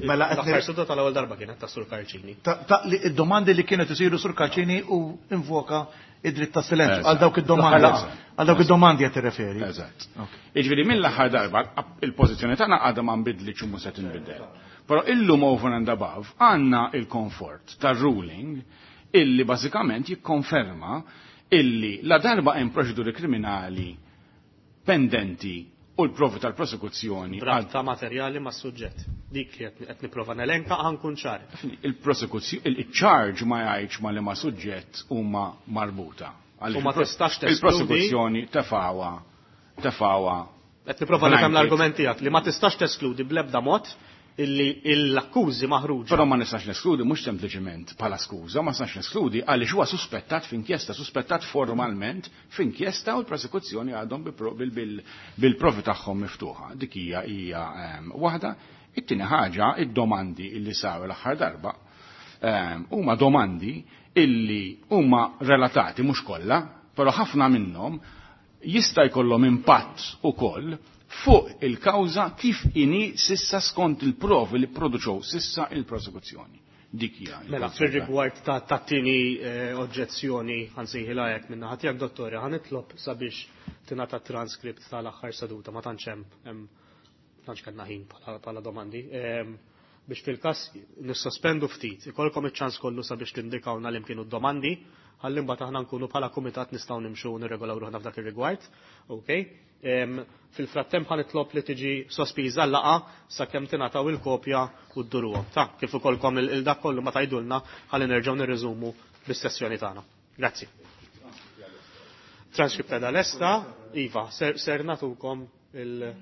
Mela qed l-aħħar seduta tal-ewwel darba kienet ta' Sur Karċini. Ta' li id-domandi li kienet isiru Sur Karċini u invoka id-dritt ta' silenzju Eżatt. għal dawk id-domandi. L-aħħar laqgħa. Għal dawk id-domandi qed tirreferi. Eżatt. Jiġifieri mill-aħħar darba il-pożizzjoni tagħna għadha ma nbidlitx u mhux se tinbidel. Però illum over and above għandna il-komfort tar-ruling illi bażikament jikkonferma illi la darba hemm proċeduri kriminali pendenti u l-provi tal-prosekuzzjoni Rabta materjali ma' suġġett. Dik li qed nipprova nelenka ħa nkun ċar. Il-prosekuzzjoni, il-charge ma jgħidx ma li ma suġġett huma marbuta. U ma tistax teskludi- Il-prosekuzzjoni tefawa. Qed nipprova nifhem blanket. l-argument tiegħek li ma tistax teskludi bl-ebda mod illi l-akkużi maħruġa. Però ma nistax neskludi mhux sempliċement bħala skuża, ma nistax neskludi għaliex huwa suspettat f'inkjesta, suspettat formalment f'inkjesta u l-prosekuzzjoni għadhom bil-provi tagħhom miftuħa. Dik hija waħda. It-tieni ħaġa, id-domandi illi saru l-aħħar darba huma domandi illi huma relatati mhux kollha, però ħafna minnhom jista' jkollhom impatt ukoll fuq il-kawża kif inhi sissa skont il-provi li produċew sissa il-prosekuzzjoni. Dik hija Mela, il-kawża. fir-rigward ta' tieni oġġezzjoni ħansejħilha hekk minn naħa tiegħek, dottore, ħanitlob sabiex tingħata transkript tal-aħħar seduta, ma tantx hemm tantx kellna ħin bħala domandi. Biex fil-każ nissospendu ftit, ikolkom iċ-ċans kollu sabiex tindikawna li kienu d-domandi, ħalli mbagħad aħna nkunu bħala kumitat nistgħu nimxu u nirregolaw ruħna f'dak ir-rigward. Okay? Fil-frattemp ħanitlob li tiġi sospiża l-laqgħa sakemm tingħataw il-kopja u dduruhom. Ta' kif ukollkom il-dak kollu ma tgħidulna ħalli nerġgħu nirriżumu bis-sessjoni tagħna. Grazzi. Transcript ta' lesta, Iva, ser natukom il-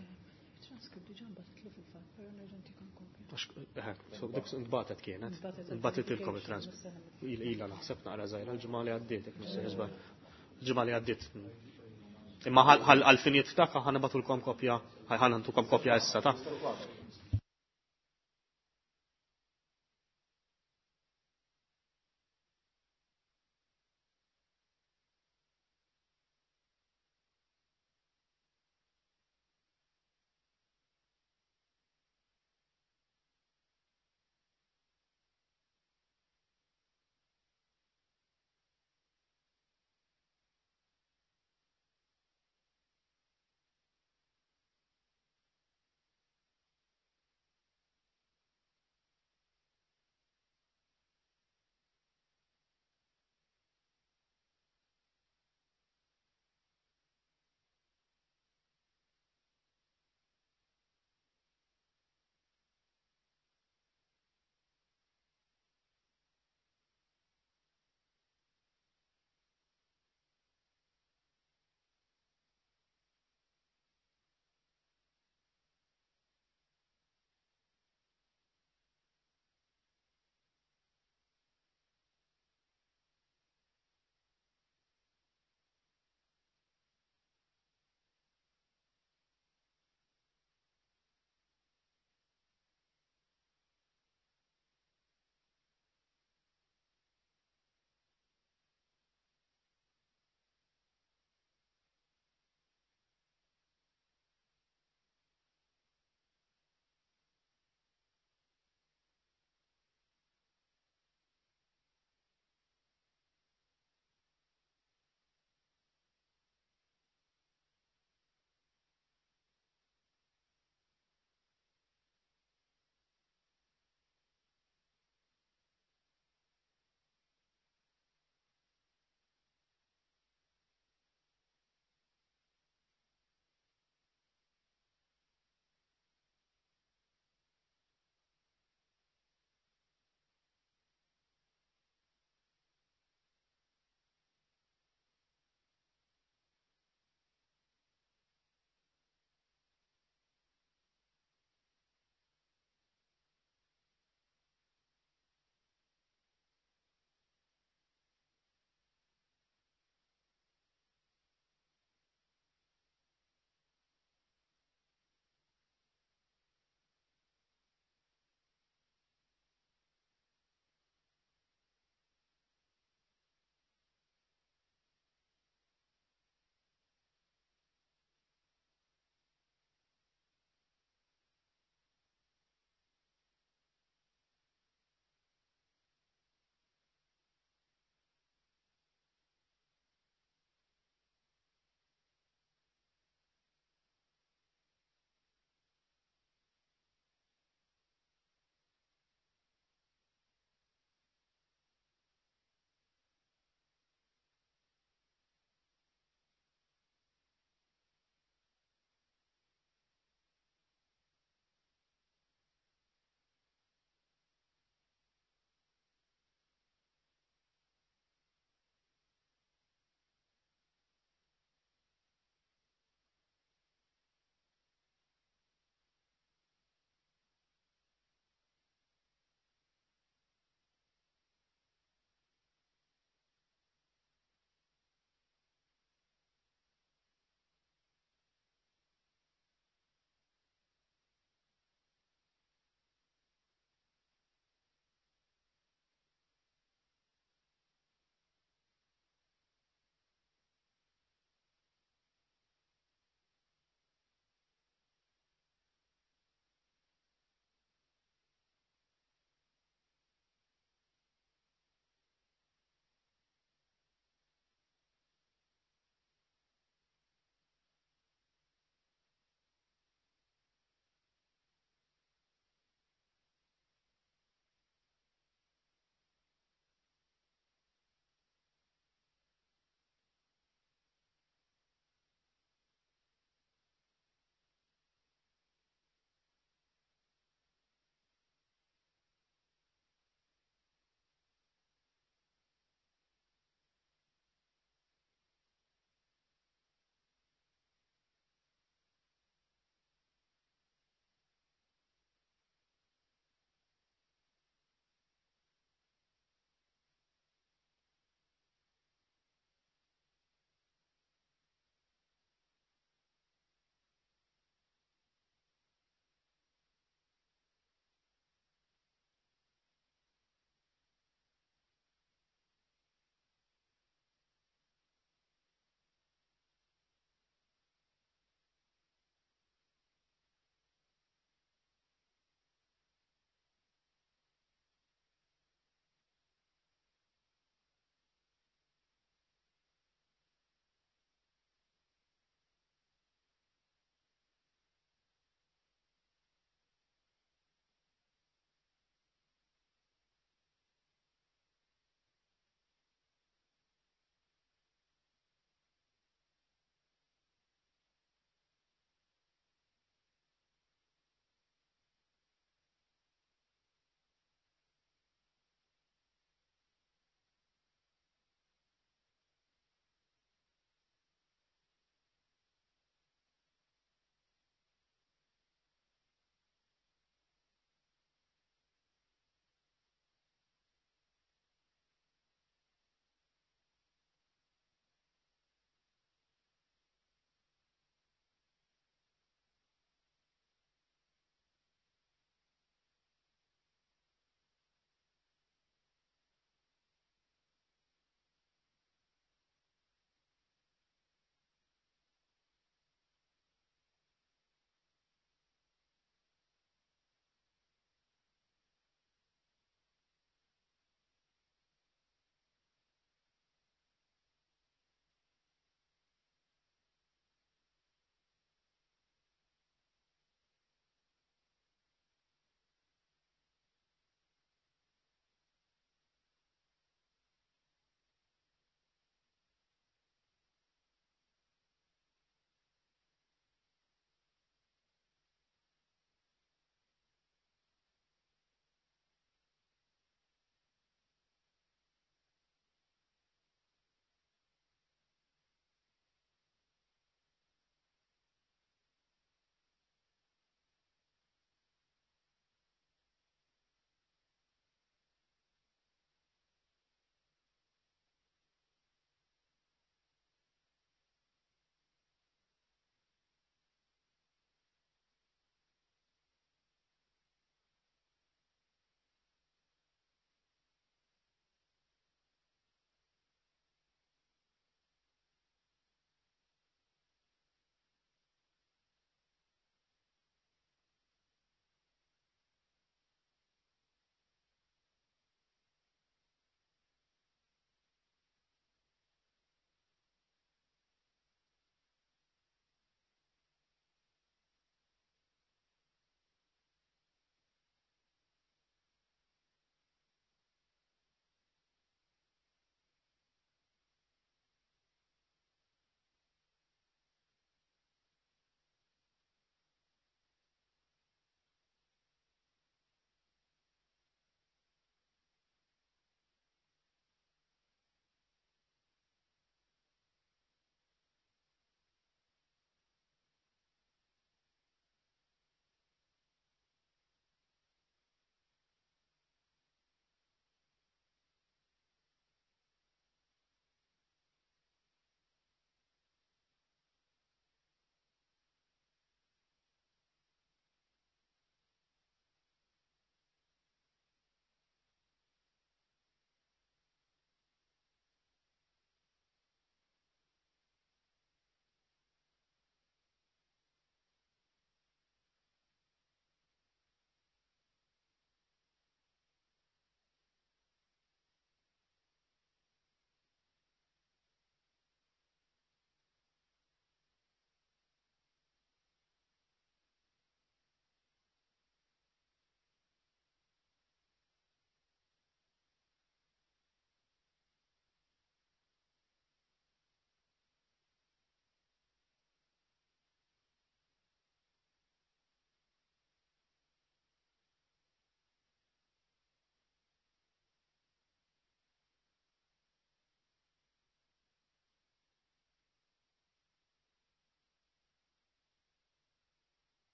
So, dik nbatet kienet. Nbatet ilkom il-transcript. Ila naħseb naqra żgħira l-ġimgħa li għaddiet, jekk mhux se żball. L-ġimgħa li għaddiet. Imma għal-finijiet ta' ħanibatulkom kopja, ħanantukom kopja issa ta'.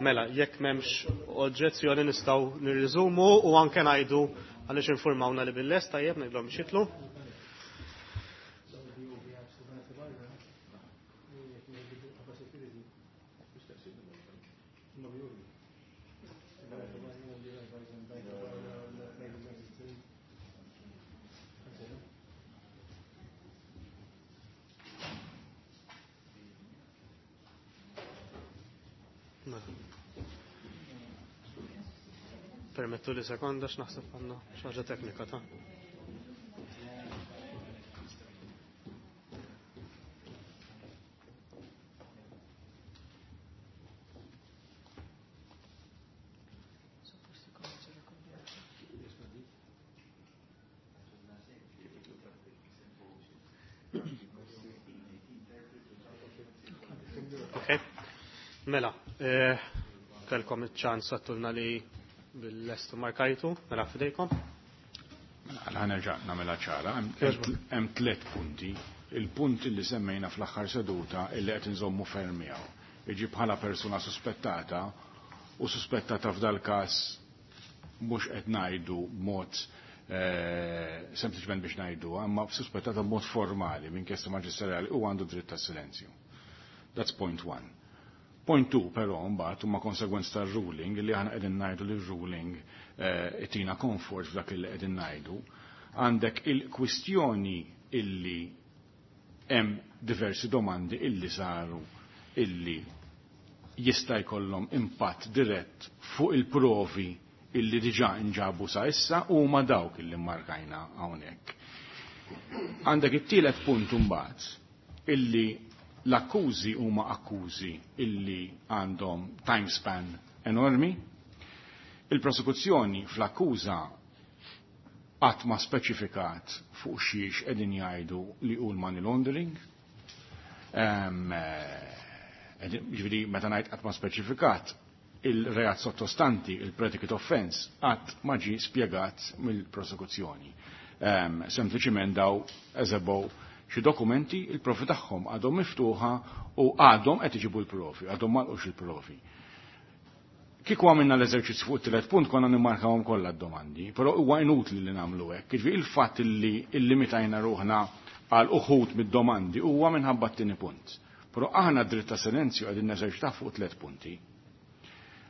Mela, jekk m'hemmx oġġezzjoni nistgħu nirriżumu u anke ngħidu għaliex infurmawna li bil-lest tajjeb ngħidlhom biex jitlu. Permettu li sekonda x'naħseb għandna xi ħaġa teknika ta'. Okay. Mela, kelkom iċ-ċans għattulna li bil-lest markajtu, mela fidejkom. Mela, nerġa' nagħmilha ċara, hemm tliet punti. Il-punt li semmejna fl-aħħar seduta illi qed inżommu ferm miegħu. Iġi bħala persuna suspettata u suspettata f'dal każ mhux qed ngħidu b'mod sempliċement biex ngħidu, imma suspettata b'mod formali minn inkjesta maġisterjali u għandu dritt tas-silenzju. That's point one. Point two, però, mbagħad huma konsegwenza tar-ruling li aħna qegħdin ngħidu li r-ruling itina comfort f'dak li qegħdin ngħidu. Għandek il-kwistjoni illi hemm diversi domandi illi saru illi jista' jkollhom impatt dirett fuq il-provi illi diġà nġabu sa issa u huma dawk illi mmarkajna hawnhekk. Għandek it-tielet punt imbagħad illi l-akkużi huma akkużi illi għandhom time span enormi. Il-prosekuzzjoni fl-akkuża qatt ma speċifikat fuq xiex qegħdin jgħidu li hu l-money laundering. Ġifieri meta ngħid qatt ma speċifikat, il-reat sottostanti, il-predicate offense, qatt ma ġie spjegat mill-prosekuzzjoni. Sempliċiment daw eżebow xi dokumenti, il-profi tagħhom għadhom miftuħa u għadhom qed iġibu l-profi, għadhom m'għalqux il-profi. Kieku għamilna l-eżerċizzju fuq it-tielet punt konna nimmarkawhom kollha d-domandi, però huwa inutli li nagħmlu hekk. Jiġifieri il-fatt li illimitajna ruħna għal uħud mid-domandi huwa minħabba t-tieni punt. Però aħna dritt ta' silenzju qegħdin neżerċitaw fuq tliet punti.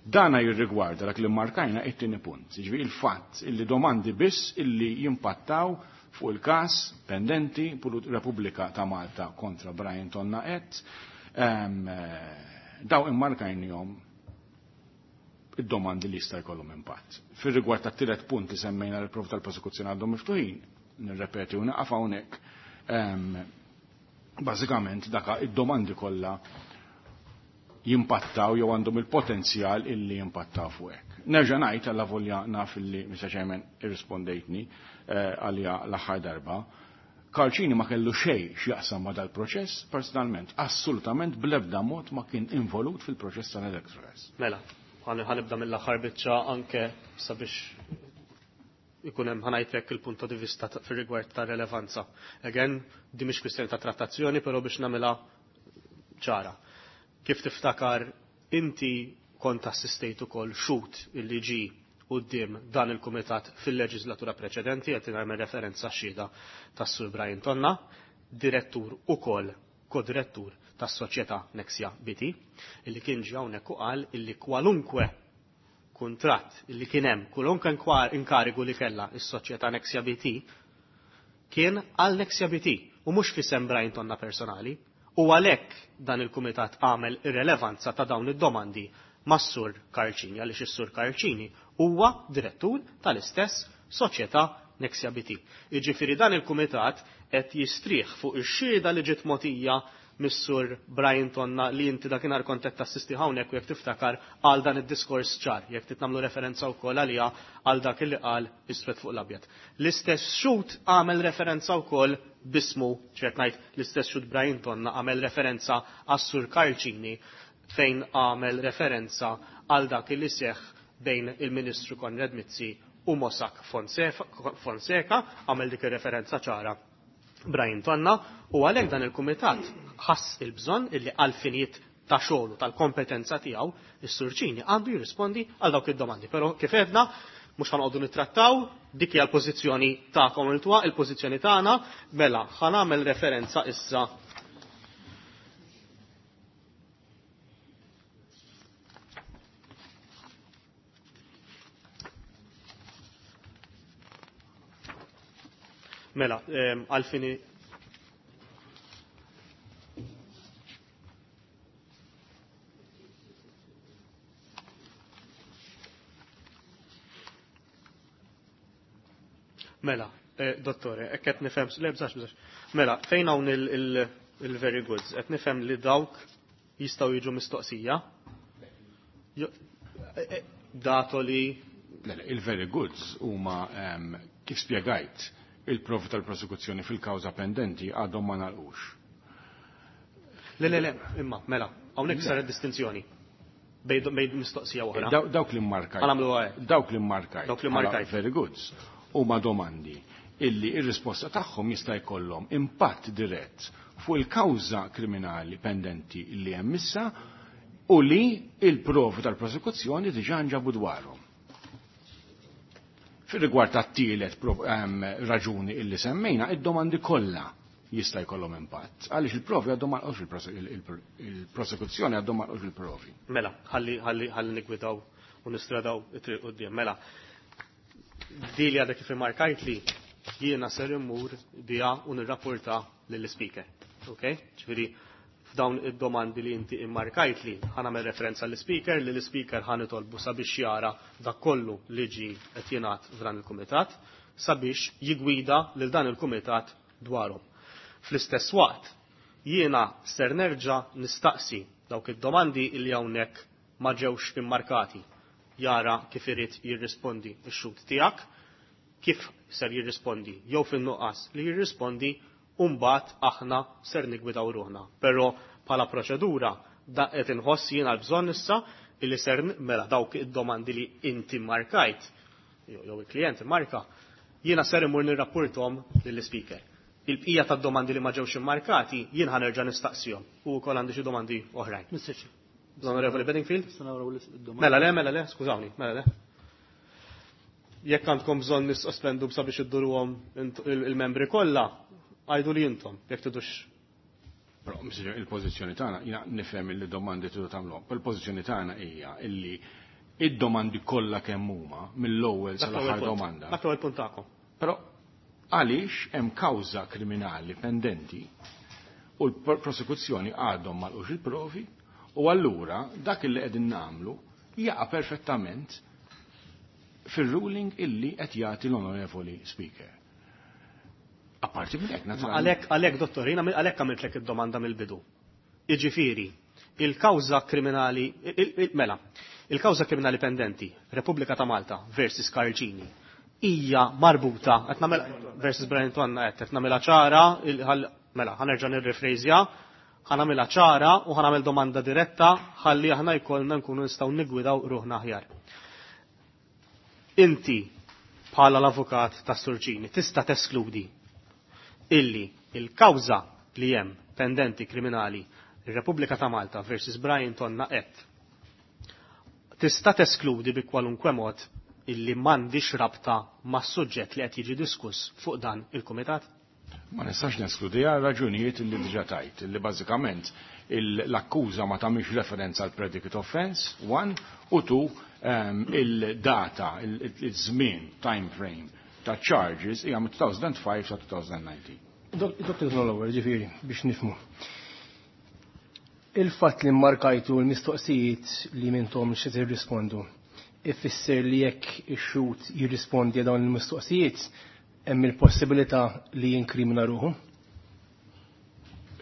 Dana jirrigwarda dak li markajna it-tieni punt. Jiġifieri il-fatt illi domandi biss illi jimpattaw fuq il-każ pendenti Repubblika ta' Malta kontra Brian Tonna et, daw immarkajnihom id-domandi li jista' jkollhom impatt. Fir-rigward tat-tielet punt li semmejna l prov tal-prosekuzzjoni għadhom miftuħin, nirrepeti u naqaf hawnhekk, bażikament daka id-domandi kollha jimpattaw jew għandhom il-potenzjal illi jimpattaw fuq hekk. Nerġa' ngħid alla volja naf illi Mr. Chairman irrispondejtni għalija l-aħħar darba. Karl Cini ma kellu xejn x'jaqsam ma' dal-proċess, personalment, assolutament bl-ebda mod ma kien involut fil-proċess tal-Electrogas. Mela, ħanibda mill-aħħar biċċa anke sabiex ikun hemm ħanajtek il-punt di vista fir-rigward ta' relevanza. Again, di mhix kwistjoni ta' trattazzjoni, però biex nagħmilha ċara. Kif tiftakar inti kont assistejt ukoll xut illi ġi quddiem dan il-kumitat fil-leġislatura preċedenti, qed nagħmel referenza xhieda tas-Sur Brian Tonna, direttur ukoll kodirettur tas-soċjetà Nexia BT, illi kien ġie hawnhekk u qal illi kwalunkwe kuntratt illi kien hemm, kwalunkwe inkarigu li kellha is-soċjetà Nexia BT kien għal Nexia BT u mhux fisem Brian Tonna personali, u għalhekk dan il-kumitat għamel irrelevanza ta' dawn id-domandi mas-Sur Karl Cini, għaliex is-Sur Karl Cini huwa direttur tal-istess soċjetà Nexia BT. Jiġifieri dan il-kumitat qed jistrieħ fuq ix-xhieda li ġiet mogħtija mis-Sur Brian Tonna li inti dakinhar kont qed tassisti hawnhekk u jekk tiftakar għal dan id-diskors ċar, jekk titnamlu referenza wkoll għaliha għal dak li qal iswed fuq l-abjad. L-istess xhud għamel referenza wkoll bismu, ċert ngħid l-istess xhud Brian Tonna għamel referenza għas-Sur Karl Cini fejn għamel referenza għal dak li seħħ bejn il-Ministru Konrad Mizzi u Mossack Fonseca, għamel dik ir-referenza ċara Brian Tonna, u għalhekk dan il-kumitat ħass il-bżonn illi għal finijiet ta' xogħlu tal-kompetenza tiegħu, is-Sur Cini għandu jirrispondi għal dawk id-domandi. Però kif għedna, mhux ħanqogħdu nittrattaw, dik hija l-pożizzjoni tagħkom il-twa, il-pożizzjoni tagħna, mela ħa nagħmel referenza issa Mela, għalfini Mela, dottore, hekk qed nifhem, le bżax bżax. Mela, fejn hawn il-very goods, qed nifhem li dawk jistgħu jiġu mistoqsija? Dato li Le, le, il-very goods huma kif spjegajt il-provi tal-prosekuzzjoni fil-kawża pendenti għadhom ma nagħlqux. Le, le, le, imma, mela, hawnhekk saret distinzjoni bejn mistoqsija oħra. Dawk li mmarkajt. Ħa nagħmluha hekk. Dawk li mmarkajt. Dawk li mmarkajt. Very goods huma domandi illi ir-risposta tagħhom jista' jkollhom impatt dirett fuq il-kawża kriminali pendenti li hemm issa u li il-provi tal-prosekuzzjoni diġà nġabu dwarhom. Fir-rigward tat-tielet raġuni illi semmejna, id-domandi kollha jista' jkollhom impatt. Għaliex il-provi għadhom ma lqgħux il-prosekuzzjoni għadhom ma lqgħux il-provi. Mela, ħalli nigwidaw u nistradaw it-triq quddiem. Mela, di li għadha kif immarkajt li jiena ser immur biha u nirrapporta lill-speaker. Ok? Ġifieri f'dawn id-domandi li inti immarkajt li ħa nagħmel referenza l-speaker, li l-speaker ħa nitolbu sabiex jara dak kollu li ġi qed jingħad f'dan il-kumitat sabiex jigwida lil dan il-kumitat dwarhom. Fl-istess waqt, jiena ser nerġa' nistaqsi dawk id-domandi li hawnhekk ma ġewx immarkati. Jara kif irid jirrispondi x-xhud tiegħek, kif ser jirrispondi jew fin-nuqqas li jirrispondi, u mbagħad aħna ser nigwidaw ruħna. Però bħala proċedura da qed inħoss jiena l-bżonn issa illi ser mela dawk id-domandi li inti markajt jew il-klient marka, jiena ser imur nirrapportom lill-speaker. Il-bqija tad-domandi li ma ġewx immarkati jien ħa nerġa' nistaqsihom u wkoll għandi xi domandi oħrajn. Mr. Chair. L-Onorevoli Bedingfield? Nista' naraw id-domandi. Mela le, mela le, skużawni, mela le. Jekk għandkom bżonn nissospendu sabiex idduruhom il-membri kollha, għajdu li intom, jekk tidux. Però, Mr. Chair, il-pożizzjoni tagħna, jiena nifhem li domandi tridu tagħmluhom, però il-pożizzjoni tagħna hija illi id-domandi kollha kemm huma mill-ewwel sal-aħħar domanda. Dak l-ewwel punt tagħkom. Però għaliex hemm kawża kriminali pendenti u l-prosekuzzjoni għadhom ma lqux il-provi u allura dak li qegħdin nagħmlu jaqa' perfettament fir-ruling illi qed jagħti l-Onorevoli Speaker. Apparti minn hekk, naturalment. Għalhekk, dottor, jiena għalhekk għamiltlek id-domanda mill-bidu. Jiġifieri, il-kawża kriminali, mela, il-kawża kriminali pendenti, Repubblika ta' Malta versus Karl Cini, hija marbuta, qed nagħmel versus Brian Tonna qed nagħmilha ċara, mela, ħa nerġa' nirrifrejżja, ħa nagħmilha ċara u ħa nagħmel domanda diretta ħalli aħna jkollna nkunu nistgħu nigwidaw ruħna aħjar. Inti bħala l-avukat ta' Sur Cini tista' teskludi illi il-kawża li hemm pendenti kriminali ir-Repubblika ta' Malta versus Brian Tonna et tista' teskludi bi kwalunkwe mod illi m'għandix rabta mas-suġġett li qed jiġi diskuss fuq dan il-kumitat? Ma nistax neskludi għal raġunijiet illi diġà tajt, illi bażikament l-akkuża ma tagħmilx referenza għal predicate offense, one, u two, il-data, il-żmien, time frame ta' charges hija minn 2005 sa 2019. Dr. Nolower, ġifieri, biex nifhmu. Il-fatt li mmarkajtu l-mistoqsijiet li mintom xi tirrispondu, ifisser li jekk ix-xhud jirrispondi dawn il-mistoqsijiet, hemm il-possibilità li jinkrimina ruħu?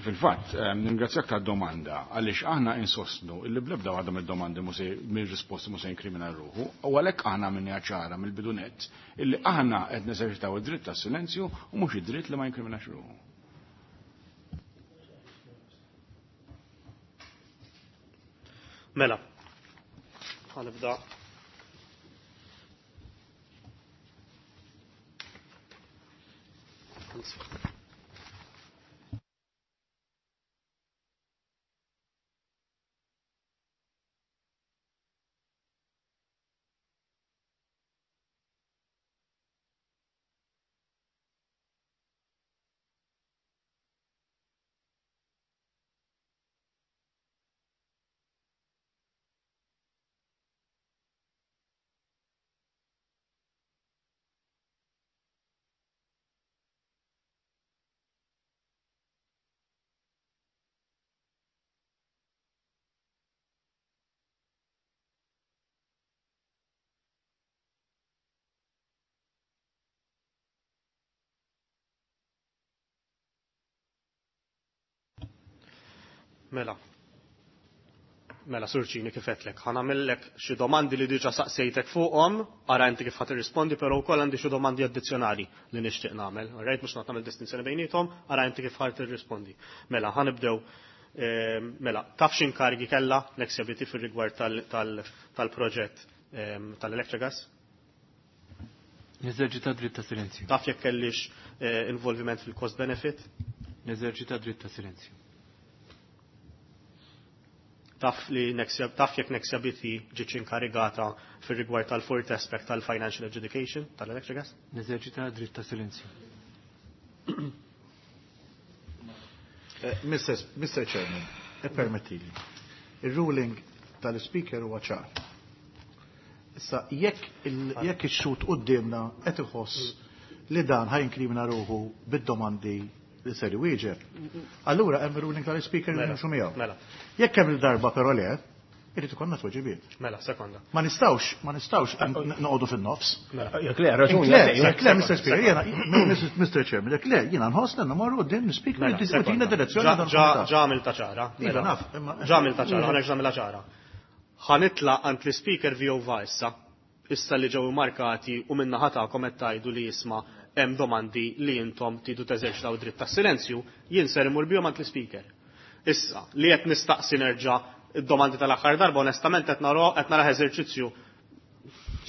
Fil-fatt, ningrazzjak tad-domanda, għaliex aħna insostnu illi bl-ebda waħda mid-domandi mir-risposti mhux se jinkrimina ruħu, u għalhekk aħna minni ċara mill-bidunett illi aħna qed neżerċitaw id-dritt tas-silenzju u mhux id-dritt li ma jinkriminax ruħu. Mela, ħanibda. Mela. Mela, Sur Cini, kif għedtlek, ħa nagħmillek xi domandi li diġà saqsejtek fuqhom, ara inti kif ħa tirrispondi, però wkoll għandi xi domandi addizzjonali li nixtieq nagħmel. Alright, mhux nagħmel distinzjoni bejniethom, ara inti kif ħa tirrispondi. Mela, ħa nibdew. Mela, taf x'inkargi kellha Nexia BT fir-rigward tal-proġett tal-Electrogas? Neżerċita dritt ta' silenzju. Taf jekk kellix involviment fil-cost benefit? Neżerċita dritt ta' silenzju. Taf li Nexia, taf jekk Nexia BT ġietx inkarigata fir-rigward tal-fourth aspect tal-financial adjudication tal-Electrogas? Neżerċita dritt ta' silenzju. Mr. Chairman, permettili. Il-ruling tal-speaker huwa ċar. Issa, jekk ix-xhud quddiemna qed iħoss li dan ħa jinkrimina ruħu bid-domandi li ser iwieġeb, allura hemm ruling tal-speaker li nimxu miegħu. Jekk hemm il-darba però le, irid ikollna tweġibiet. Mela, sekonda. Ma nistgħux noqogħdu fin-nofs. Mela. Jekk le, raġuni. Le, jekk le, Mr. Speaker, jiena, Mr. Chairman, jekk le, jiena nħoss li mmorru quddiem speaker Mela, li diskutina sekonda. direzzjoni dan il-kumitat. Ġa għamilta ċara. Iva, Mela. naf, imma- Ġa għamilta ċara, ħa nerġa' nagħmilha ċara. Ħa nitlaq għand l-speaker VOVA issa, issa li ġew markati u minna tagħkom qed tgħidu li jisma' hemm domandi li intom tridu teżerċitaw dritt tas-silenzju, jien ser imur bihom għand l-speaker. Issa, li qed nistaqsi nerġa' id-domandi tal-aħħar darba, onestament qed nara eżerċizzju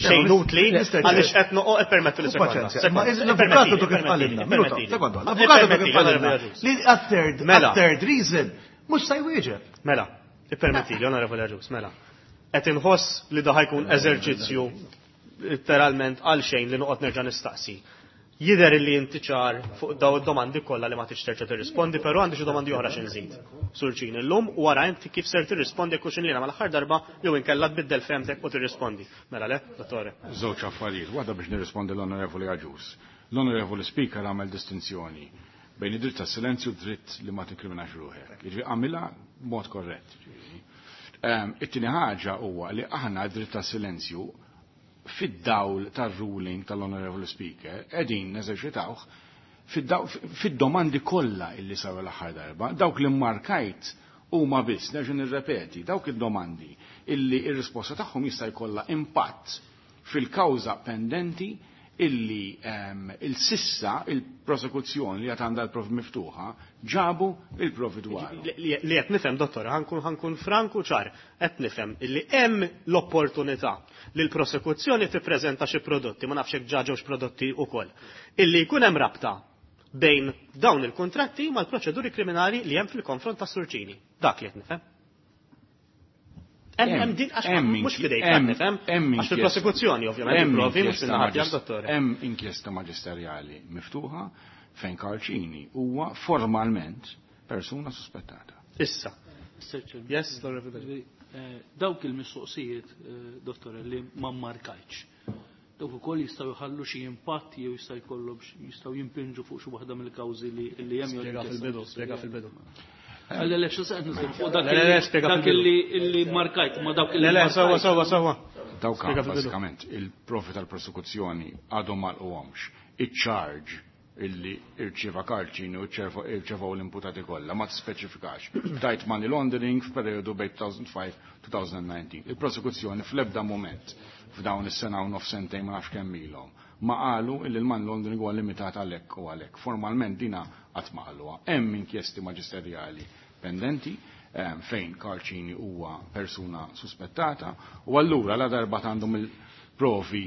xejn utli, għaliex qed noqgħod permettu li sekonda. Ma l-avukatu kif qalilna, minuta, sekonda, l-avukatu kif qalilna li għat-third, Mela. third reason, mhux se jwieġeb. Mela, ippermettili, onorevoli Agius, mela. Qed inħoss li da ħa jkun eżerċizzju literalment għal xejn li noqgħod nerġa' nistaqsi. Jidher li inti ċar fuq daw id-domandi kollha li ma tix terġa' tirrispondi, però għandi xi domandi oħra xi nżid. Sur Cini llum u wara inti kif ser tirrispondi jekk hux inlina mal-aħħar darba jew inkella tbiddel fehmtek u tirrispondi. Mela le, dottore. Żewġ affarijiet, waħda biex nirrispondi l-Onorevoli Agius. L-Onorevoli Speaker għamel distinzjoni bejn id-dritt tas silenzju u dritt li ma tinkriminax ruħek. Jiġifieri għamilha b'mod korrett. Jiġifieri. It-tieni ħaġa huwa li aħna d-dritt tas silenzju fid-dawl tar-ruling tal-Onorevoli Speaker qegħdin neżerċitawh fid-domandi kollha illi saru l-aħħar darba, dawk li markajt huma biss, nerġa' nirrepeti, dawk id-domandi illi ir-risposta tagħhom jista' jkollha impatt fil-kawża pendenti illi il-sissa il-prosekuzzjoni li għad għandha l-provi miftuħa ġabu il-provi dwaru. Li qed nifhem, dottor, ħa nkun franku ċar, qed nifhem illi hemm l-opportunità li l-prosekuzzjoni tippreżenta xi prodotti, ma nafx hekk ġa ġewx prodotti wkoll, illi jkun hemm rabta bejn dawn il-kontratti mal-proċeduri kriminali li hemm fil-konfront ta' Sur Cini. Dak li qed nifhem. Hemm din għax mhux fidejk qed nifhem, għax fil-prosekuzzjoni ovvjament il-provi mhux fin-naħa tiegħek, dottore. Hemm inkjesta maġisterjali miftuħa fejn Karl Cini huwa formalment persuna suspettata. Issa. Mr. Chairman. Yes, Lord. Dawk il-mistoqsijiet, dottore, li ma markajtx. Dawk ukoll jistgħu jħallu xi impatt jew jista' jkollhom jistgħu jimpinġu fuq xi waħda mill-kawżi li hemm jew Spjega fil-bidu, spjega fil-bidu. Le, le, xi se nitkellmu fuq dak Le, le, le, spjega dak fil-bidu. illi markajt, ma dawk illi Le, le, markajt. sewwa, sewwa, sewwa. Dawk Spjega fil-bidu. bażikament il-provi tal-prosekuzzjoni għadhom ma lqugħomx. Iċ-charge illi irċieva Karl Cini u irċevaw l-imputati kollha ma tispeċifikax. Tajt money laundering f'perjodu bejn 2005-2019. Il-prosekuzzjoni fl-ebda moment f'dawn is-sena u nofs sentejn ma nafx kemm ilhom ma qalu illi l-money laundering huwa limitat għalhekk u għalhekk. Formalment dina qatt ma qaluha. Hemm inkjesti maġisterjali pendenti fejn Karl Cini huwa persuna suspettata u allura la darba għandhom il-provi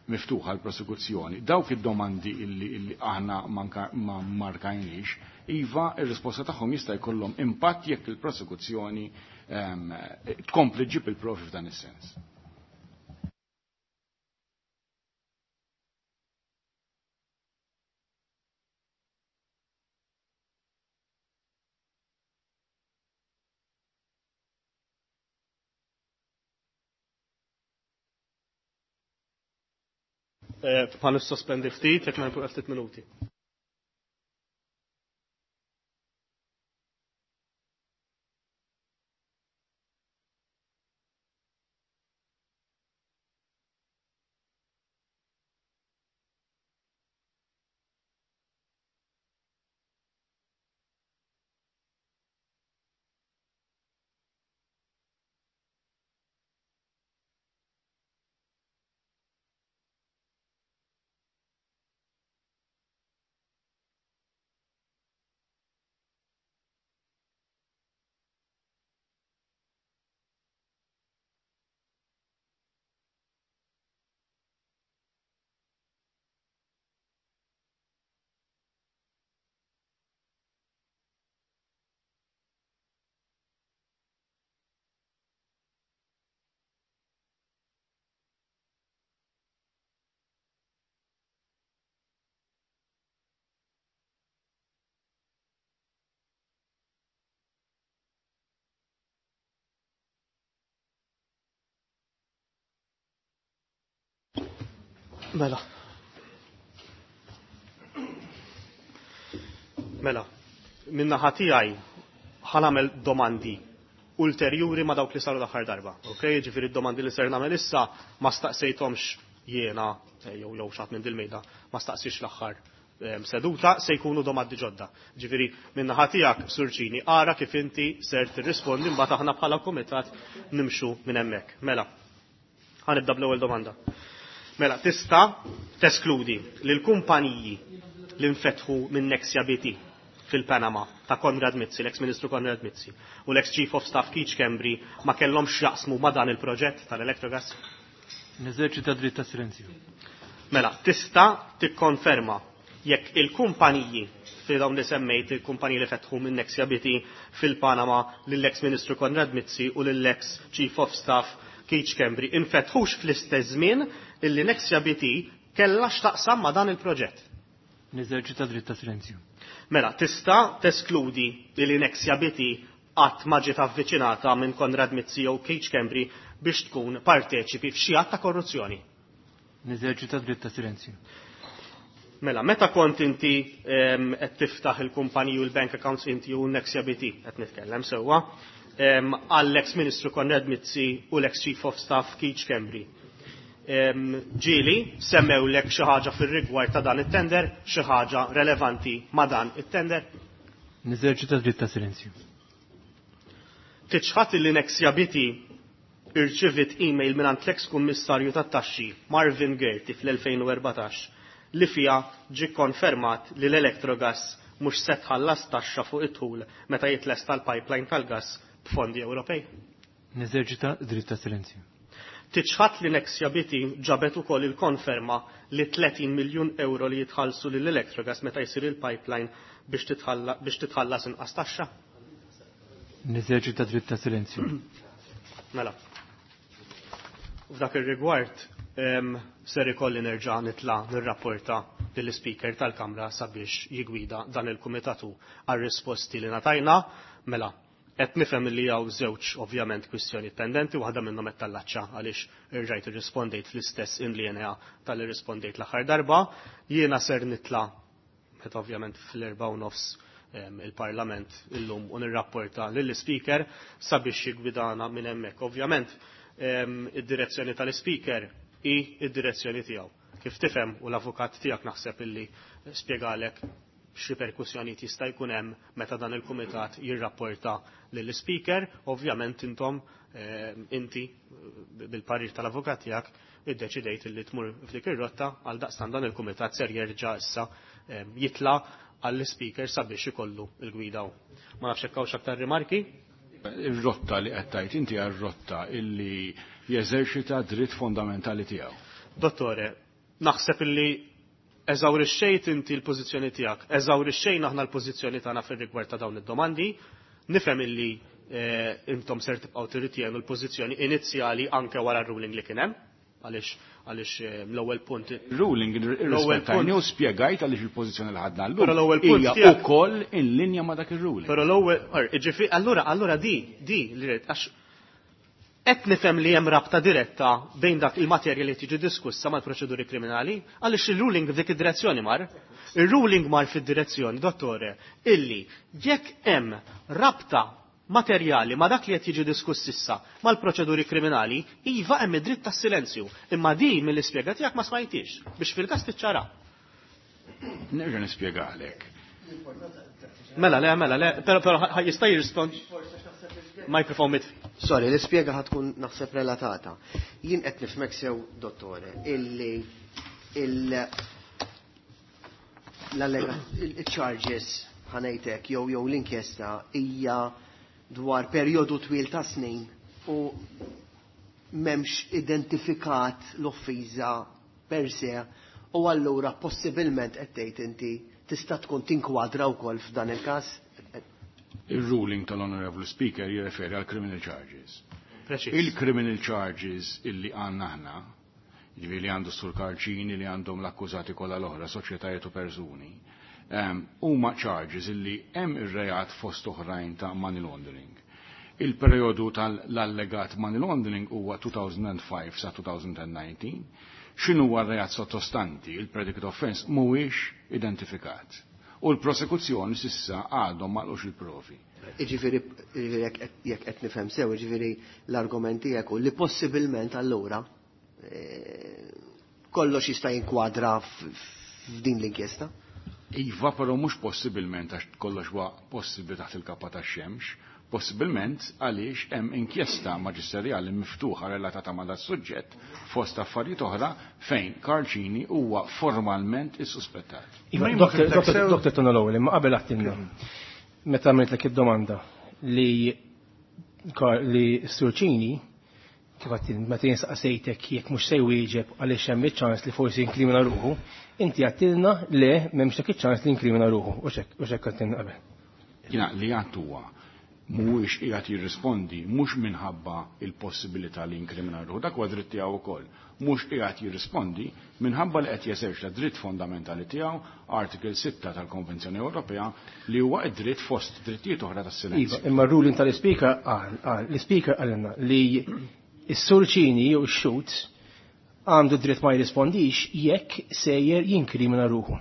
miftuħa l-prosekuzzjoni. Dawk id-domandi illi aħna ma markajniex, iva ir-risposta tagħhom jista' jkollhom impatt jekk il-prosekuzzjoni tkompli ġib il-provi f'dan is-sens. Ħa nissospendi ftit, jekk ma ftit minuti. Mela. Mela, min-naħa tiegħi ħa nagħmel domandi ulterjuri ma' dawk li saru l-aħħar darba. Ok, ġifieri d-domandi li ser nagħmel issa ma staqsejthomx jiena jew jew xi ħadd minn dil-mejda ma staqsix l-aħħar seduta se jkunu domandi ġodda. Ġifieri min-naħa tiegħek Sur Cini ara kif inti ser tirrispondi mbagħad aħna bħala kumitat nimxu minn hemmhekk. Mela, ħa nibda bl-ewwel domanda. Mela, tista' teskludi li l-kumpaniji li nfetħu minn Nexia BT fil-Panama ta' Konrad Mizzi, l-ex Ministru Konrad Mizzi, u l-ex Chief of Staff Keith Schembri ma kellhomx x'jaqsmu ma' dan il-proġett tal-Electrogas? Neżerċita dritt ta' silenzju. Mela, tista' tikkonferma jekk il-kumpaniji fi dawn li semmejt il-kumpaniji li fetħu minn Nexia BT fil-Panama lill-ex Ministru Konrad Mizzi u lill-ex Chief of Staff Keith Schembri infetħux fl-istess żmien illi Nexia BT kellha x'taqsam ma' dan il-proġett. Neżerċita dritt ta' silenzju. Mela, tista' teskludi li Nexia BT qatt ma ġiet avviċinata minn Konrad Mizzi jew Keith Schembri biex tkun parteċipi f'xi att ta' korruzzjoni. Neżerċita dritt ta' silenzju. Mela, meta kont inti qed tiftaħ il-kumpaniji u l-bank accounts inti u Nexia BT qed nitkellem sewwa, għall-ex Ministru Konrad Mizzi u l-ex Chief of Staff Keith Schembri. Ġieli semmewlek xi ħaġa fir-rigward ta' dan it-tender, xi ħaġa relevanti ma' dan it-tender? Neżerċita dritt ta' silenzju. Tiċħad li Nexia BT irċivit email mingħand l-ex kummissarju tat-taxxi Marvin Gaerty fl-2014 li fija ġie konfermat li l-Electrogas mhux se tħallas taxxa fuq it-tul meta jitlesta l-pipeline tal-gas b'fondi Ewropej. Neżerċita dritt ta' silenzju. Tiċħad li Nexia BT ġabet ukoll il-konferma li 30 miljun euro li jitħallsu lill Electrogas meta jsir il-pipeline biex titħallas inqas taxxa. Neżerċita dritt ta' silenzju. Mela. F'dak ir-rigward ser ikolli nerġa' nitla' nirrapporta lill-Speaker tal-Kamra sabiex jigwida dan il-kumitatu għar-risposti li ngħatajna. Mela, qed nifhem li hawn żewġ ovvjament kwistjoni pendenti, waħda minnhom qed tallaċċa għaliex irġajt irrispondejt fl-istess in linea tal-li rispondejt l-aħħar darba. Jiena ser nitla' meta ovvjament fl-4:30 il-Parlament illum u nirrapporta lill-Speaker sabiex jigwidana minn hemmhekk. Ovvjament id-direzzjoni tal-Speaker hi id-direzzjoni tiegħu. Kif tifhem u l-avukat tiegħek naħseb illi spjegalek x'riperkussjonijiet jista' jkun hemm meta dan il-kumitat jirrapporta lill-Speaker, ovvjament intom inti bil-parir tal-avukat tiegħek iddeċidejt illi tmur f'dik ir-rotta għal daqstan dan il-kumitat ser jerġa' issa jitla' għall-Speaker sabiex ikollu il-gwida hu. Ma nafx hekk hawnx aktar rimarki? Ir-rotta li qed tgħid inti hija r-rotta illi jeżerċita dritt fondamentali tiegħu. Dottore, naħseb illi eżawrixxejt inti l-pożizzjoni tiegħek, eżawrixxejn aħna l-pożizzjoni tagħna fir-rigward ta' dawn id-domandi, nifhem illi intom ser tibqgħu tirritienu l-pożizzjoni inizjali anke wara r-ruling li kien hemm, għaliex l-ewwel punt. Ruling irrispettajni u spjegajt għaliex il-pożizzjoni li ħadna llum. Però l-ewwel punt hija tiegħek ukoll in linja ma' dak ir-ruling. Però l-ewwel, or, ġifi, allura di li rrid, għax qed nifhem li hemm rabta diretta bejn dak il-materja li tiġi diskussa mal-proċeduri kriminali, għaliex il-ruling f'dik id-direzzjoni mar. Il-ruling mar fid-direzzjoni, dottore, illi jekk hemm rabta materjali ma dak li qed jiġi diskuss issa mal-proċeduri kriminali, iva hemm id-dritt tas-silenzju. Imma din mill-ispjega tiegħek ma smajtix biex fil-każ tiċċara. Nerġa' nispjegalek. Mela, le, mela, le, però jista' jirrispond. Microphone mit. Sorry, l-ispjega ħatkun naħseb relatata. Jien qed nifhmek sew, dottore, illi il-charges ħanejtek jew l-inkjesta hija dwar perjodu twil ta' snin u m'hemmx identifikat l-offiża per se u allura possibilment qed tgħid inti tista' tkun tinkwadra wkoll f'dan il-każ. Il-ruling tal-Honorable Speaker jirreferi għal criminal charges. Preċiż. Il-criminal charges illi għandna aħna, jiġifieri li għandu Sur Karl Cini, li għandhom l-akkużati kollha l-oħra, soċjetajiet u persuni, huma charges illi hemm ir-reat fost oħrajn ta' money laundering. Il-perjodu tal-allegat money laundering huwa 2005 sa 2019. X'inhu r-reat sottostanti, il-predicate offense, mhuwiex identifikat. U l-prosekuzzjoni s'issa għadhom ma qalux il-provi. Jiġifieri jekk qed nifhem sew, jiġifieri l-argument tiegħek hu li possibilment allura kollox jista' jinkwadra f'din l-inkjesta? Iva, però mhux possibilment għax kollox huwa possibbli taħt il-kappa tax-xemx, possibilment għaliex hemm inkjesta maġisterjali miftuħa relatata ma' das-suġġett fost affarijiet oħra fejn Karl Cini huwa formalment issuspettat. Iva, Dr. Tona l-ewwel, imma qabel għattilna, meta għamiltlek id-domanda li li Sur Cini kif għattilna, meta jien saqsejtek jekk mhux se jwieġeb għaliex hemm iċ-ċans li forsi jinkrimina ruħu, inti għattilna le m'hemmx dak iċ-ċans li jinkrimina ruħu, u x'hekk, u x'hekk għattilna qabel. Jiena li għadt huwa mhuwiex qiegħed jirrispondi mhux minħabba l-possibilità li jinkrimina ruħu, dak huwa dritt tiegħu wkoll, mhux qiegħed jirrispondi minħabba li qed jeżerċita dritt fondamentali tiegħu, Article 6 tal-Konvenzjoni Ewropea, li huwa d-dritt fost drittijiet oħra tas-silenzju. Iva, imma r-ruling tal-Ispeaker qal, qal, l-Ispeaker qalilna li s-Sur Cini jew ix-xhud għandu dritt ma jirrispondix jekk sejjer jinkrimina ruħu.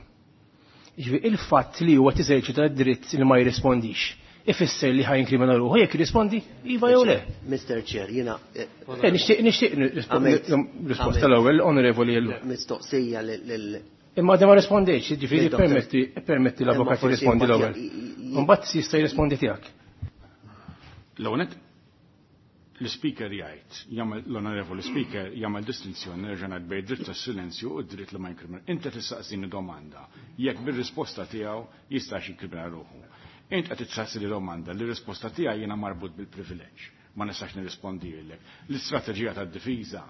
Jiġifieri il-fatt li huwa tiżerċita d-dritt li ma jirrispondix ifisser li ħa jinkrimina ruħu jekk jirrispondi iva jew le. Mr. Chair, jiena Nixtieq nixtieq risposta l-ewwel, Onorevoli Ellul. Mistoqsija lil Imma għadha ma rispondejtx, jiġifieri permetti permetti l-avukat jirrispondi l-ewwel. Imbagħad jista' jirrispondi tiegħek. L-ewwel nett l-Ispeaker jgħid, jagħmel l-Onorevoli Speaker jagħmel distinzjoni nerġa' ngħid bejn dritt tas-silenzju u d-dritt li ma jinkrimina. Inti tistaqsini domanda jekk bir-risposta tiegħu jistax jinkrimina ruħu. Int qed tistaqsini domanda li r-risposta tiegħi jiena marbut bil-privileġġ. Ma nistax nirrispondilek. L-istrateġija tad-difiża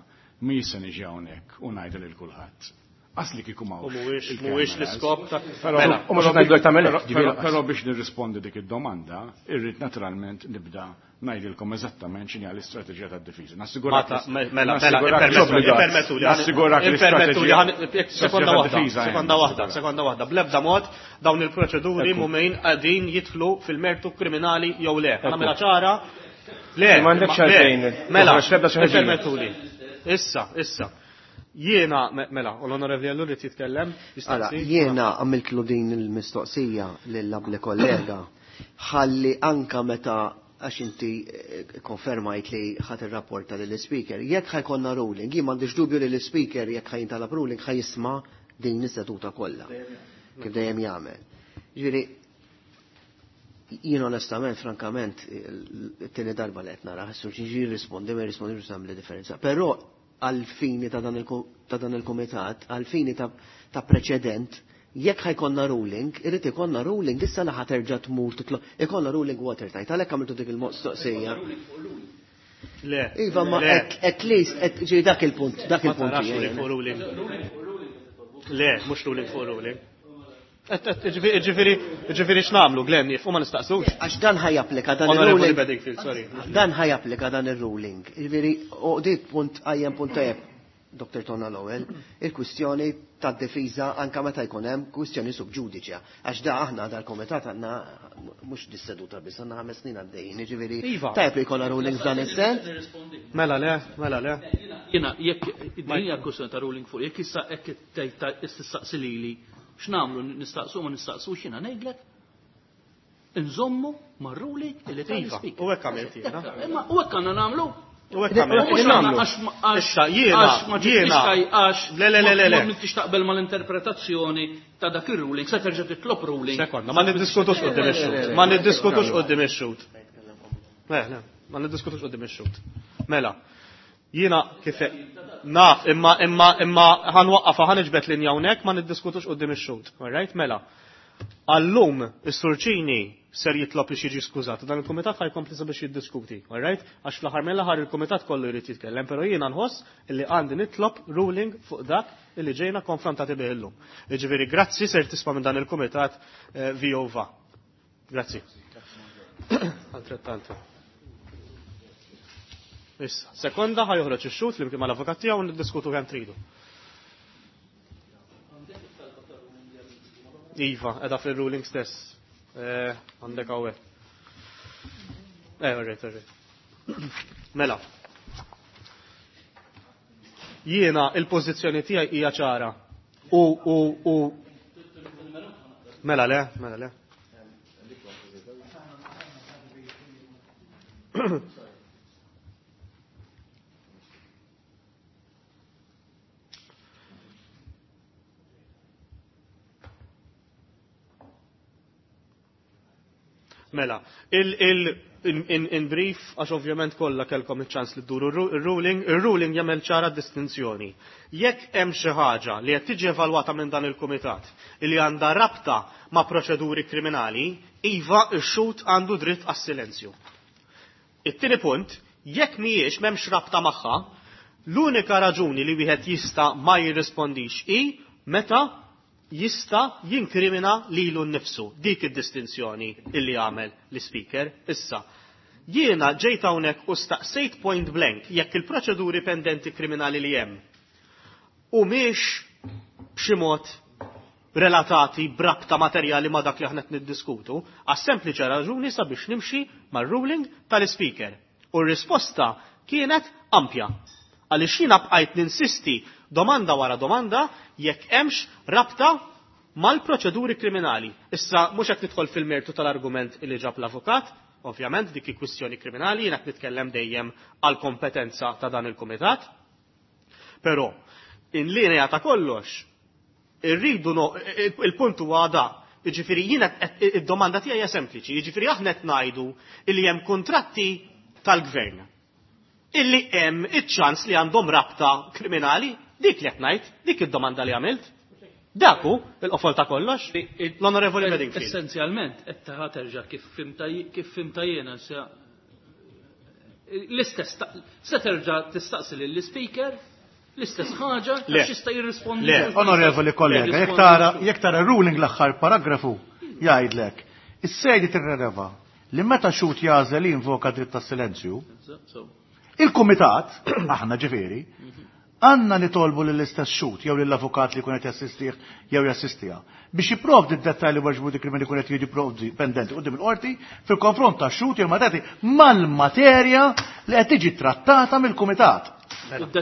mhijiex se niġi hawnhekk u ngħidha lil kulħadd. Qas li kieku m'hawnx. U mhuwiex mhuwiex l-iskop ta' Mela, U mhux qed ngħidlek tagħmel hekk, ġifieri lanqas. Però biex nirrispondi dik id-domanda, irrid naturalment nibda ngħidilkom eżattament x'inhi l-istrateġija tad-difiża. Nassigurak Mela, mela, ippermettuli, Nassigurak ippermettuli, sekonda waħda, sekonda waħda, sekonda waħda. Bl-ebda mod dawn il-proċeduri mhumejn qegħdin jidħlu fil-mertu kriminali jew le. Nagħmilha ċara. Le, M'għandekx għalfejn. Mela, Toħroġ l-ebda xi ħaġa. ippermettuli. Issa, issa. Jiena, mela, u l-Onorevoli Ellul irid jitkellem. Ara, jiena għamiltlu din il-mistoqsija lill-abli kollega ħalli anka meta għax inti konfermajt li ħadd irrapporta lill-Ispeaker, jekk ħa jkollna ruling, jien m'għandix dubju li l-Ispeaker jekk ħa jintalab ruling ħa jisma' din is-seduta kollha. Kif dejjem jagħmel. Ġifieri jien onestament, frankament, it-tieni darba li qed nara, ħassu xi jirrispondi ma jirrispondi mhux tagħmel differenza. Però għal-fini ta' dan il-kumitat, għal-fini ta' preċedent, jekk ħajkonna ruling, irid ikollna ruling issa li ħaterġa' tmur titlob, ikollna ruling watertight, għalhekk għamiltu dik il-mistoqsija. Le. Iva, ma at least, ġi dak il-punt, dak il-punt. Ma tarax ruling fuq ruling. Le, mhux ruling fuq ruling. Ġifieri, ġifieri x'nagħmlu, Glenn, jif u ma nistaqsux. Għax dan ħajapplika dan Onorevoli il-ruling. Bedingfield, sorry. Dan ħajapplika dan il-ruling. Ġifieri, u dik punt għajjem punt tajjeb, Dr. Tonna Lowell, il-kwistjoni tad-difiża anka meta jkun hemm kwistjoni sub ġudice. Għax da aħna dal-komitat għandna mhux dis-seduta biss, għandna 5 snin għaddejjin, jiġifieri Iva. tajjeb li jkollna ruling f'dan is-sens. Mela le, mela le. Jiena jekk din hija kwistjoni ta' ruling fuq, jekk issa hekk tgħid tistaqsi lili, x'nagħmlu nistaqsu ma nistaqsux jiena ngħidlek inżommu mar-ruling illi Iva, tal-ispeaker. u hekk għamilt jiena. Imma u hekk għandna nagħmlu. U hekk għamilt. Mhux Nagħmlu. għax għax Issa, jiena, għax ma jiena. ġietx għax Le, le, le, le, le. ma m'intix taqbel mal-interpretazzjoni ta' dak ir-ruling, se terġa' titlob ruling. Sekonda, ma niddiskutux quddiem ix-xhud. Ma niddiskutux quddiem ix-xhud. Le, le, ma niddiskutux quddiem ix-xhud. Mela, jiena kif naf imma imma imma ħanwaqqafha ħaniġbed linja hawnhekk ma niddiskutux quddiem ix-xhud. All right, mela. Għallum is-Sur Cini ser jitlob biex jiġi skużat. Dan il-kumitat ħajkompli sabiex jiddiskuti, all right? Għax fl-aħħar mill-aħħar il-kumitat kollu jrid jitkellem, però jiena nħoss illi għandi nitlob ruling fuq dak illi ġejna konfrontati bih illum. Jiġifieri grazzi ser tisma' minn dan il-kumitat VOVA. Grazzi. Altrettanto. Issa, sekonda ħajoħroġ ix-xhud flimkien mal-avukat tiegħu u niddiskutu kemm tridu. Iva, edha fil-ruling stess. Għandek hawnhekk. All right, all right. Mela. Jiena il-pożizzjoni tiegħi hija ċara. U u u Mela le, mela le. Mela, il, in, in brief, għax ovvjament kollha kellkom iċ-ċans li dduru il-ruling, il-ruling jagħmel ċara distinzjoni. Jekk hemm xi ħaġa li qed tiġi evalwata minn dan il-kumitat li għandha rabta ma' proċeduri kriminali, iva x-xhud għandu dritt għas-silenzju. It-tieni punt, jekk mhijiex m'hemmx rabta magħha, l-unika raġuni li wieħed jista' ma jirrispondix hi meta jista' jinkrimina lilu nnifsu. Dik id-distinzjoni illi għamel l-Ispeaker. Issa, jiena ġejt hawnhekk u staqsejt point blank jekk il-proċeduri pendenti kriminali li hemm humiex b'xi mod relatati b'rabta materjali ma' dak li aħna qed niddiskutu, għas-sempliċi raġuni sabiex nimxi mar-ruling tal-Ispeaker. U r-risposta kienet ampja. Għaliex jiena bqajt ninsisti domanda wara domanda jekk hemmx rabta mal-proċeduri kriminali. Issa mhux qed nidħol fil-mertu tal-argument li ġab l-avukat, ovvjament dik hi kwistjoni kriminali, jiena qed nitkellem dejjem għall-kompetenza ta' dan il-kumitat. Però in linea ta' kollox irridu no, il-punt huwa da. Jiġifieri jiena id-domanda tiegħi hija sempliċi, jiġifieri aħna qed ngħidu li hemm kuntratti tal-gvern illi hemm iċ-ċans li għandhom rabta kriminali, dik li qed ngħid, dik id-domanda li għamilt. Dak hu il-qofol ta' kollox. L-Onorevoli Bedingfield. Essenzjalment qed terġa' kif fhimtha kif fhimtha jiena l-istess se terġa' tistaqsi lill-ispeaker l-istess ħaġa għax jista' jirrispondi. Le, onorevoli kollega, jekk tara jekk tara ruling l-aħħar paragrafu jgħidlek is-sedi tirreleva li meta xhud jagħżel li jinvoka dritt tas-silenzju, il-kumitat, aħna ġifieri, għandna nitolbu lill-istess xhud jew lill-avukat li jkun qed jassistih jew jassistiha biex jipprovdi d-dettalji dwar krimini li jkun qed jiġi pendenti quddiem il-qorti fil-konfront tax-xhud jew matati mal-materja li qed tiġi trattata mill-kumitat.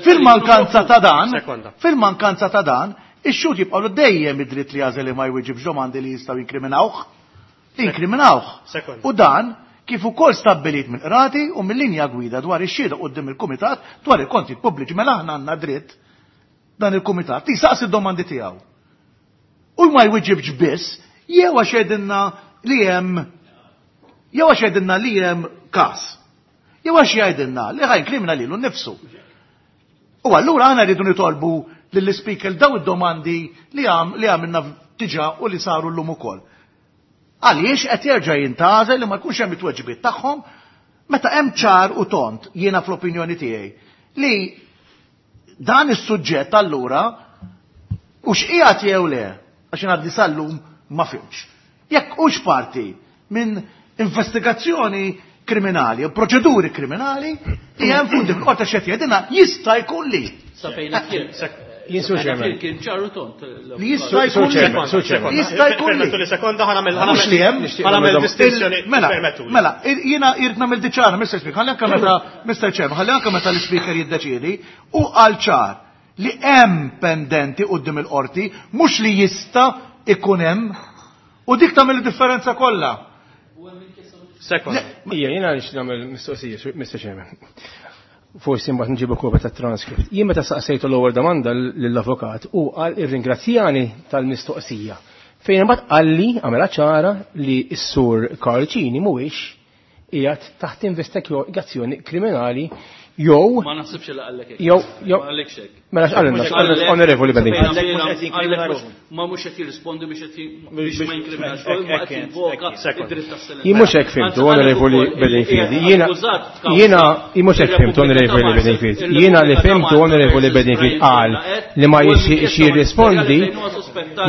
Fil-mankanza ta' dan, fil-mankanza ta' dan, ix-xhud jibqgħu dejjem id-dritt li jagħżel li ma jwiġibx domandi li jistgħu jinkriminawh. Inkriminawh. U dan kif ukoll stabbilit mill-qrati u mill-linja gwida dwar ix-xhieda quddiem il-Kumitat dwar il-kontijiet pubbliċi mela aħna għandna dritt dan il-Kumitat li jsaqsi d-domandi tiegħu. U ma jwiġibx biss jew għax jgħidilna li hemm jew għax jgħidilna li hemm każ. Jew għax jgħidilna li ħa jinkrimina lilu nnifsu. U allura aħna rridu nitolbu lill-ispeaker daw id-domandi li għamilna diġà u li saru llum ukoll. Għaliex qed jerġa' jintgħażel li ma jkunx hemm it-tweġibiet tagħhom meta hemm ċar u tond jiena fl-opinjoni tiegħi li dan is-suġġett allura u x'qiegħed jew le għax jien għadni sal-lum ma fhimtx. Jekk hux parti minn investigazzjoni kriminali u proċeduri kriminali li hemm fuq din il-qorti x'qed jgħidilna jista' jkun li. Sa fejn kien. Jien Sur Chairman. Kien ċaru tont. Li jista' jkun li. Jista' jkun li. Permettuli sekonda ħa nagħmel Mhux li hemm. ħa nagħmel distinzjoni. Mela, Permettuli. mela, jiena irrid nagħmel diċara, Mr. Speaker, ħalli anke meta Mr. Chairman, ħalli anke meta l-Speaker jiddeċiedi u qal ċar li hemm pendenti quddiem il-qorti mhux li jista' ikun hemm u dik tagħmel id-differenza kollha. Sekonda. Ija, jiena nix nagħmel mistoqsija, Mr. Chairman. Forsi mbagħad nġibu kopja tat-transcript. Jien meta saqsejtu l-ewwel domanda lill-avukat u qal irringrazzjani tal-mistoqsija. Fejn imbagħad qalli għamela ċara li s-sur Karl Cini mhuwiex qiegħed taħt investigazzjoni kriminali jew Ma naħsibx li qallek hekk. Jew jew Ma qallekx hekk. Mela x'qalilna, onorevoli Bedingfield. Ma mhux qed jirrispondi biex qed biex ma jinkriminax, ma qed jinvoka id-dritt tas-silenzju. Jien mhux hekk fhimtu, onorevoli Bedingfield. Jiena jiena jien mhux hekk fhimtu, onorevoli Bedingfield. Jiena li fhimtu, onorevoli Bedingfield qal li ma jixtieqx jirrispondi.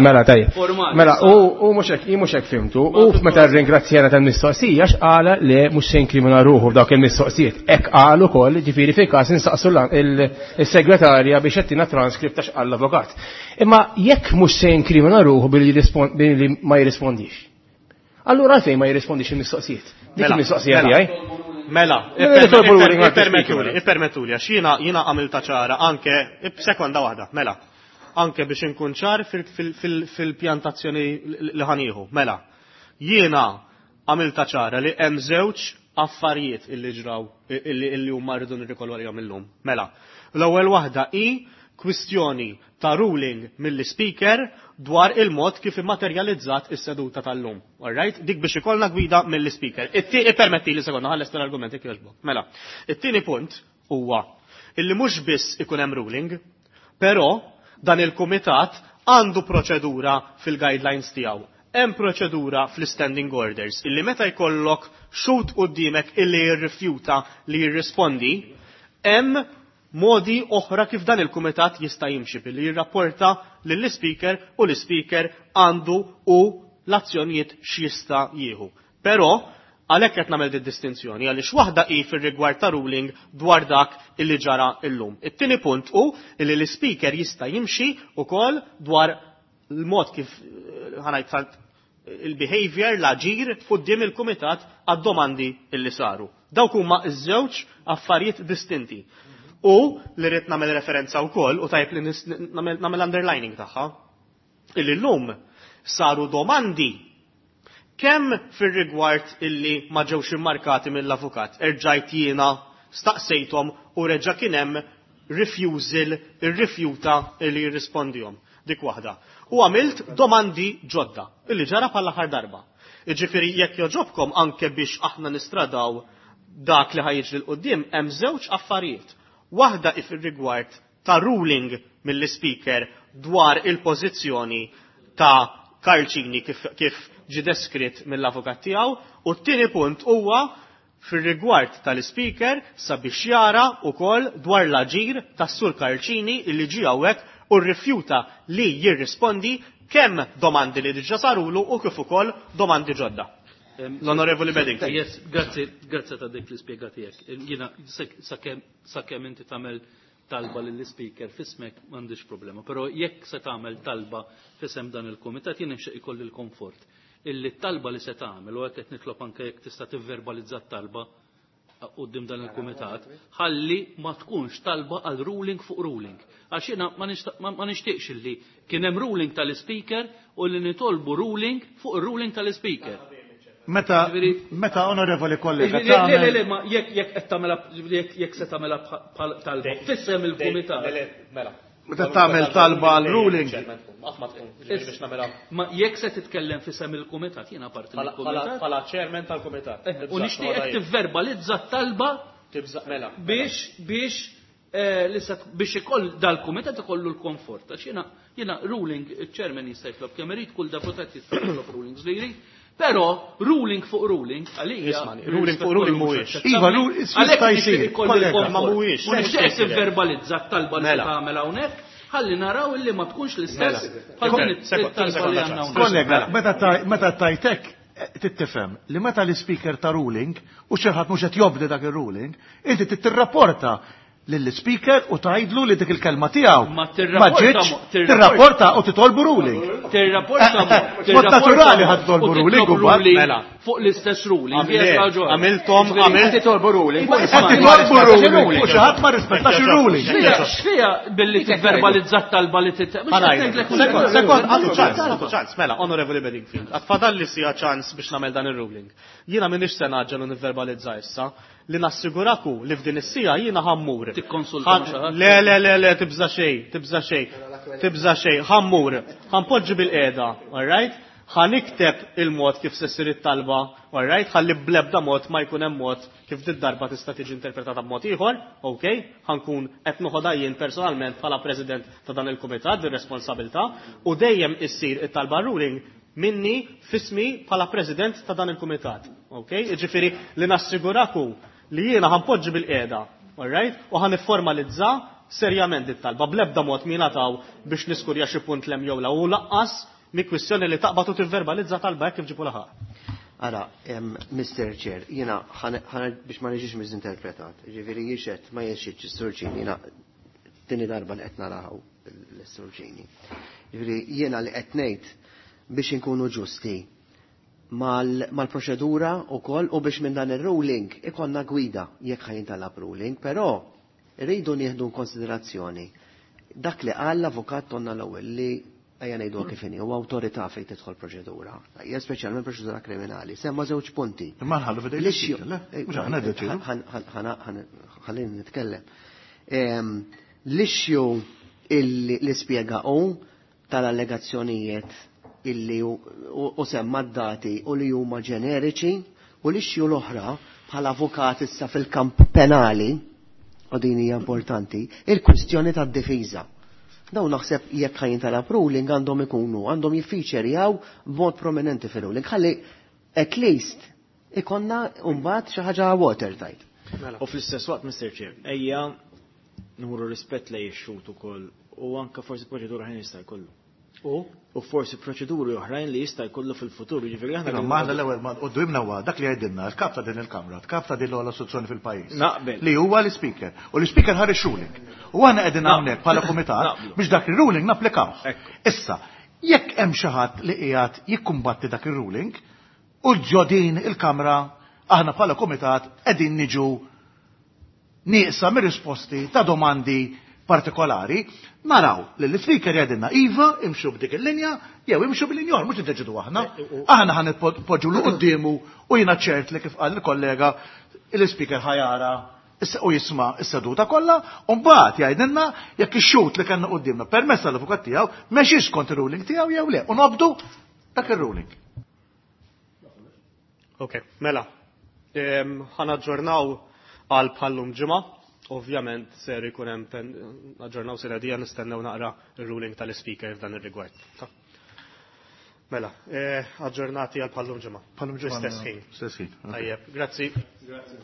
Mela tajjeb. Mela u mhux hekk jien mhux hekk fhimtu, u meta rringrazzjana tal-mistoqsija x'qala li mhux se jinkrimina ruħu f'dawk il-mistoqsijiet. Hekk qal ukoll, ġifieri fil-każ insaqsu il-segretarja biex qed transkript ta' x'qal l-avukat. Imma jekk mhux se jinkrimina ruħu billi ma jirrispondix. Allura għalfejn ma jirrispondix il-mistoqsijiet? Dik Mela, il-mistoqsija mela. tiegħi. Mela, Nitolbu ruling għal ippermettuli, speaker. ippermettuli, għax jiena jiena għamilta ċara anke, sekonda waħda, mela, anke biex inkun ċar fil-pjantazzjoni li ħanieħu, mela, jiena għamilta ċara li hemm żewġ affarijiet illi ġraw illi huma rridu nirrikollu għalihom illum. Mela, l-ewwel waħda hi kwistjoni ta' ruling mill-speaker dwar il-mod kif immaterjalizzat is-seduta tal-lum. Alright? Dik biex ikollna gwida mill-speaker. Ippermetti li sekonda ħalles tal-argument jekk jogħġbok. Mela, it-tieni punt huwa illi mhux biss ikun hemm ruling, però dan il-kumitat għandu proċedura fil-guidelines tiegħu. Hemm proċedura fl-standing orders illi meta jkollok xut quddiemek illi jirrifjuta li jirrispondi, hemm modi oħra kif dan il-kumitat jista' jimxi billi jirrapporta lill-speaker u l-speaker għandu u l-azzjonijiet x'jista' jieħu. Però għalhekk qed nagħmel din distinzjoni għaliex waħda hi fir-rigward ta' ruling dwar dak illi ġara llum. It-tieni punt hu illi l-speaker jista' jimxi wkoll dwar l-mod kif ħanajt il-behavior, l-aġir quddiem il-kumitat għad-domandi illi saru. Dawk huma ż-żewġ affarijiet distinti. U li rrid nagħmel referenza wkoll u tajb li nagħmel underlining tagħha, illi llum saru domandi kemm fir-rigward illi ma ġewx immarkati mill-avukat, erġajt jiena staqsejthom u reġa' kien hemm refusal, irrifjuta illi jirrispondihom. Dik waħda. U għamilt domandi ġodda, illi ġara bħall-aħħar darba. Jiġifieri jekk jogħġobkom anke biex aħna nistradaw dak li ħajġri 'l quddiem hemm żewġ affarijiet. Waħda hi fir-rigward ta' ruling mill-speaker dwar il-pożizzjoni ta' Karl Cini kif ġie deskritt mill-avukat tiegħu, u t-tieni punt huwa fir-rigward tal-speaker sabiex jara wkoll dwar l-aġir tas-Sur Karl Cini illi ġie hawnhekk u rrifjuta li jirrispondi kemm domandi li diġà sarulu u kif ukoll domandi ġodda. L-Onorevoli Bedingfield. Yes, grazzi, grazzi ta' dik l-ispjega tiegħek. Jiena sakemm inti tagħmel talba lill-speaker fismek m'għandix problema, però jekk se tagħmel talba fisem dan il-kumitat jien nixtieq ikolli l-komfort illi t-talba li se tagħmel u hekk qed nitlob anke jekk tista' tivverbalizza t-talba quddiem dan il-kumitat, ħalli ma tkunx talba għal ruling fuq ruling. Għax jiena ma nixtieqx illi kien hemm ruling tal-speaker u li nitolbu ruling fuq ir-ruling tal-speaker. Meta, meta onorevoli kollega, Le, le, le, ma jekk jekk qed tagħmilha jekk jekk se tagħmilha bħal talba fissem il-kumitat. Mela. Meta tagħmel talba għal ruling. Ma jekk se titkellem fisem il-kumitat, jiena parti mill-kumitat. Bħala chairman tal-kumitat. U nixtieqek tivverbalizza t-talba Mela. biex biex biex ikoll dal-kumitat ikollu l-komfort. Għax jiena jiena ruling il-chairman jista' jitlob kemm irid, kull deputat jista' jitlob rulings li jrid. Però ruling fuq ruling għalija. Ismani, ruling fuq ruling mhuwiex. Iva, jista' jsir, kollega. Ma mhuwiex. U nixtieq tivverbalizza t-talba li Mela. tagħmel hawnhekk, ħalli naraw illi ma tkunx l-istess bħal din it-talba li għandna hawnhekk. Kollega, meta tajtek tittifhem li meta l-speaker ta' ruling u xi ħadd mhux qed jobdi dak ir-ruling, inti tirrapporta lill-speaker u tgħidlu li dik il-kelma tiegħu Ma ma tirrapporta ġietx, tirrapporta tirrapporta u titolbu ruling. Tirrapporta Mod naturali ħad titolbu ruling u umbagħad. Mela. fuq l-istess ruling. Għamiltom, Qed titolbu ruling. Qed titolbu ruling u xi ħadd ma rispettax ir-ruling. X'fiha billi tivverbalizza t-talba li tit. Sekond, sekond, għadu ċans, għadu ċans, mela, Onorevoli Bedingfield, għatfadalli sija ċans biex nagħmel dan il-ruling. Jiena minix se naġġel u nivverbalizza issa, li nassiguraku li f'din is-sija jiena ħammur. Tikkonsulta ma' xi ħadd? Le, le, le, le, tibża xejn, tibża xejn, tibża xejn, ħammur, ħanpoġġi bil-qiegħda, all right? Ħanikteb il-mod kif se ssir it-talba, all right? Ħalli bl-ebda mod ma jkun hemm mod kif dit darba tista' tiġi interpretata b'mod ieħor, ok? Ħankun qed noħodha jien personalment bħala president ta' dan il-kumitat dir-responsabilità u dejjem issir it-talba ruling minni fismi bħala president ta' dan il-kumitat. Ok? Jiġifieri li nassiguraku li jiena ħanpoġġi bil-qiegħda, all right? U ħaniformalizza serjament it-talba bl-ebda mod min taw biex niskurja xi punt lem jew la u laqqas mi kwistjoni li taqbad u tivverbalizza talba hekk kif ġipu laħaq. Ara, Mr. Chair, jiena biex ma niġix miżinterpretat, ġifieri jixet ma jexxitx is-Sur Cini, jiena tieni darba li qed naraw l-Sur Cini. Ġifieri jiena li qed ngħid biex inkunu ġusti. mal-proċedura u koll u biex minn dan il-ruling ikonna gwida jekk ħa jintalab ruling, però rridu nieħdu konsiderazzjoni dak li qal l-avukat Tonna l-ewwel li ejja ngħidu kif inhi huwa awtorità fejn tidħol proċedura, hija speċjalment proċedura kriminali. Semma żewġ punti. Imma nħallu f'idejn l-issue, le? Mhux aħna ddeċidu. Ħallini nitkellem. L-issue illi li spjega hu tal-allegazzjonijiet illi u semma d-dati u li huma ġeneriċi u l-issue l-oħra bħala avukat issa fil-kamp penali u din hija importanti, il-kwistjoni tad-difiża. Dawn naħseb jekk ħa jintalab ruling għandhom ikunu, għandhom jiffiċerjaw b'mod prominenti fil-ruling. Ħalli at least ikonna mbagħad xi ħaġa watertight. Mela. U fl-istess waqt, Mr. Chair, ejja nuru rispett lejn ix-xhud ukoll u anke forsi proċedura ħin jista' jkollu. U? U forsi proċeduri oħrajn li jista' jkollu fil-futur, jiġifieri aħna. Ma aħna l-ewwel ma quddiemna huwa dak li jgħidilna l-kap ta' din il-Kamra, kap ta' din l-ogħla istituzzjoni fil-pajjiż. Naqbel. Li huwa l-Speaker. U l-Speaker ħareġ ruling. U aħna qegħdin hawnhekk bħala kumitat biex dak ir-ruling napplikawh. Issa, jekk hemm xi ħadd li qiegħed jikkumbatti dak ir-ruling, u ġo din il-Kamra aħna bħala kumitat qegħdin niġu nieqsa mir-risposti ta' domandi partikolari, naraw li l-speaker jgħidilna iva imxu b'dik il-linja jew imxu bil-linja oħra, mhux niddeċidu aħna. Aħna ħa nitpoġġu 'l quddiemu u jiena ċert li kif qal il-kollega il-speaker ħa jara u jisma' s-seduta kollha u mbagħad jgħidilna jekk ix-xhud li kellna quddiemna permezz tal-avukat tiegħu mexiex skont ir-ruling tiegħu jew le u nobdu dak ir-ruling. Ok, mela. Ħa naġġornaw għal bħal-lum ġimgħa. Ovvjament ser ikun hemm aġġornaw sena dija nistennew naqra ir-ruling tal-speaker f'dan ir-rigward. Mela, aġġornati għal bħal-lum ġimgħa. Bħal-lum ġimgħa. Istess ħin. Stess ħin. Tajjeb, grazzi. Grazzi.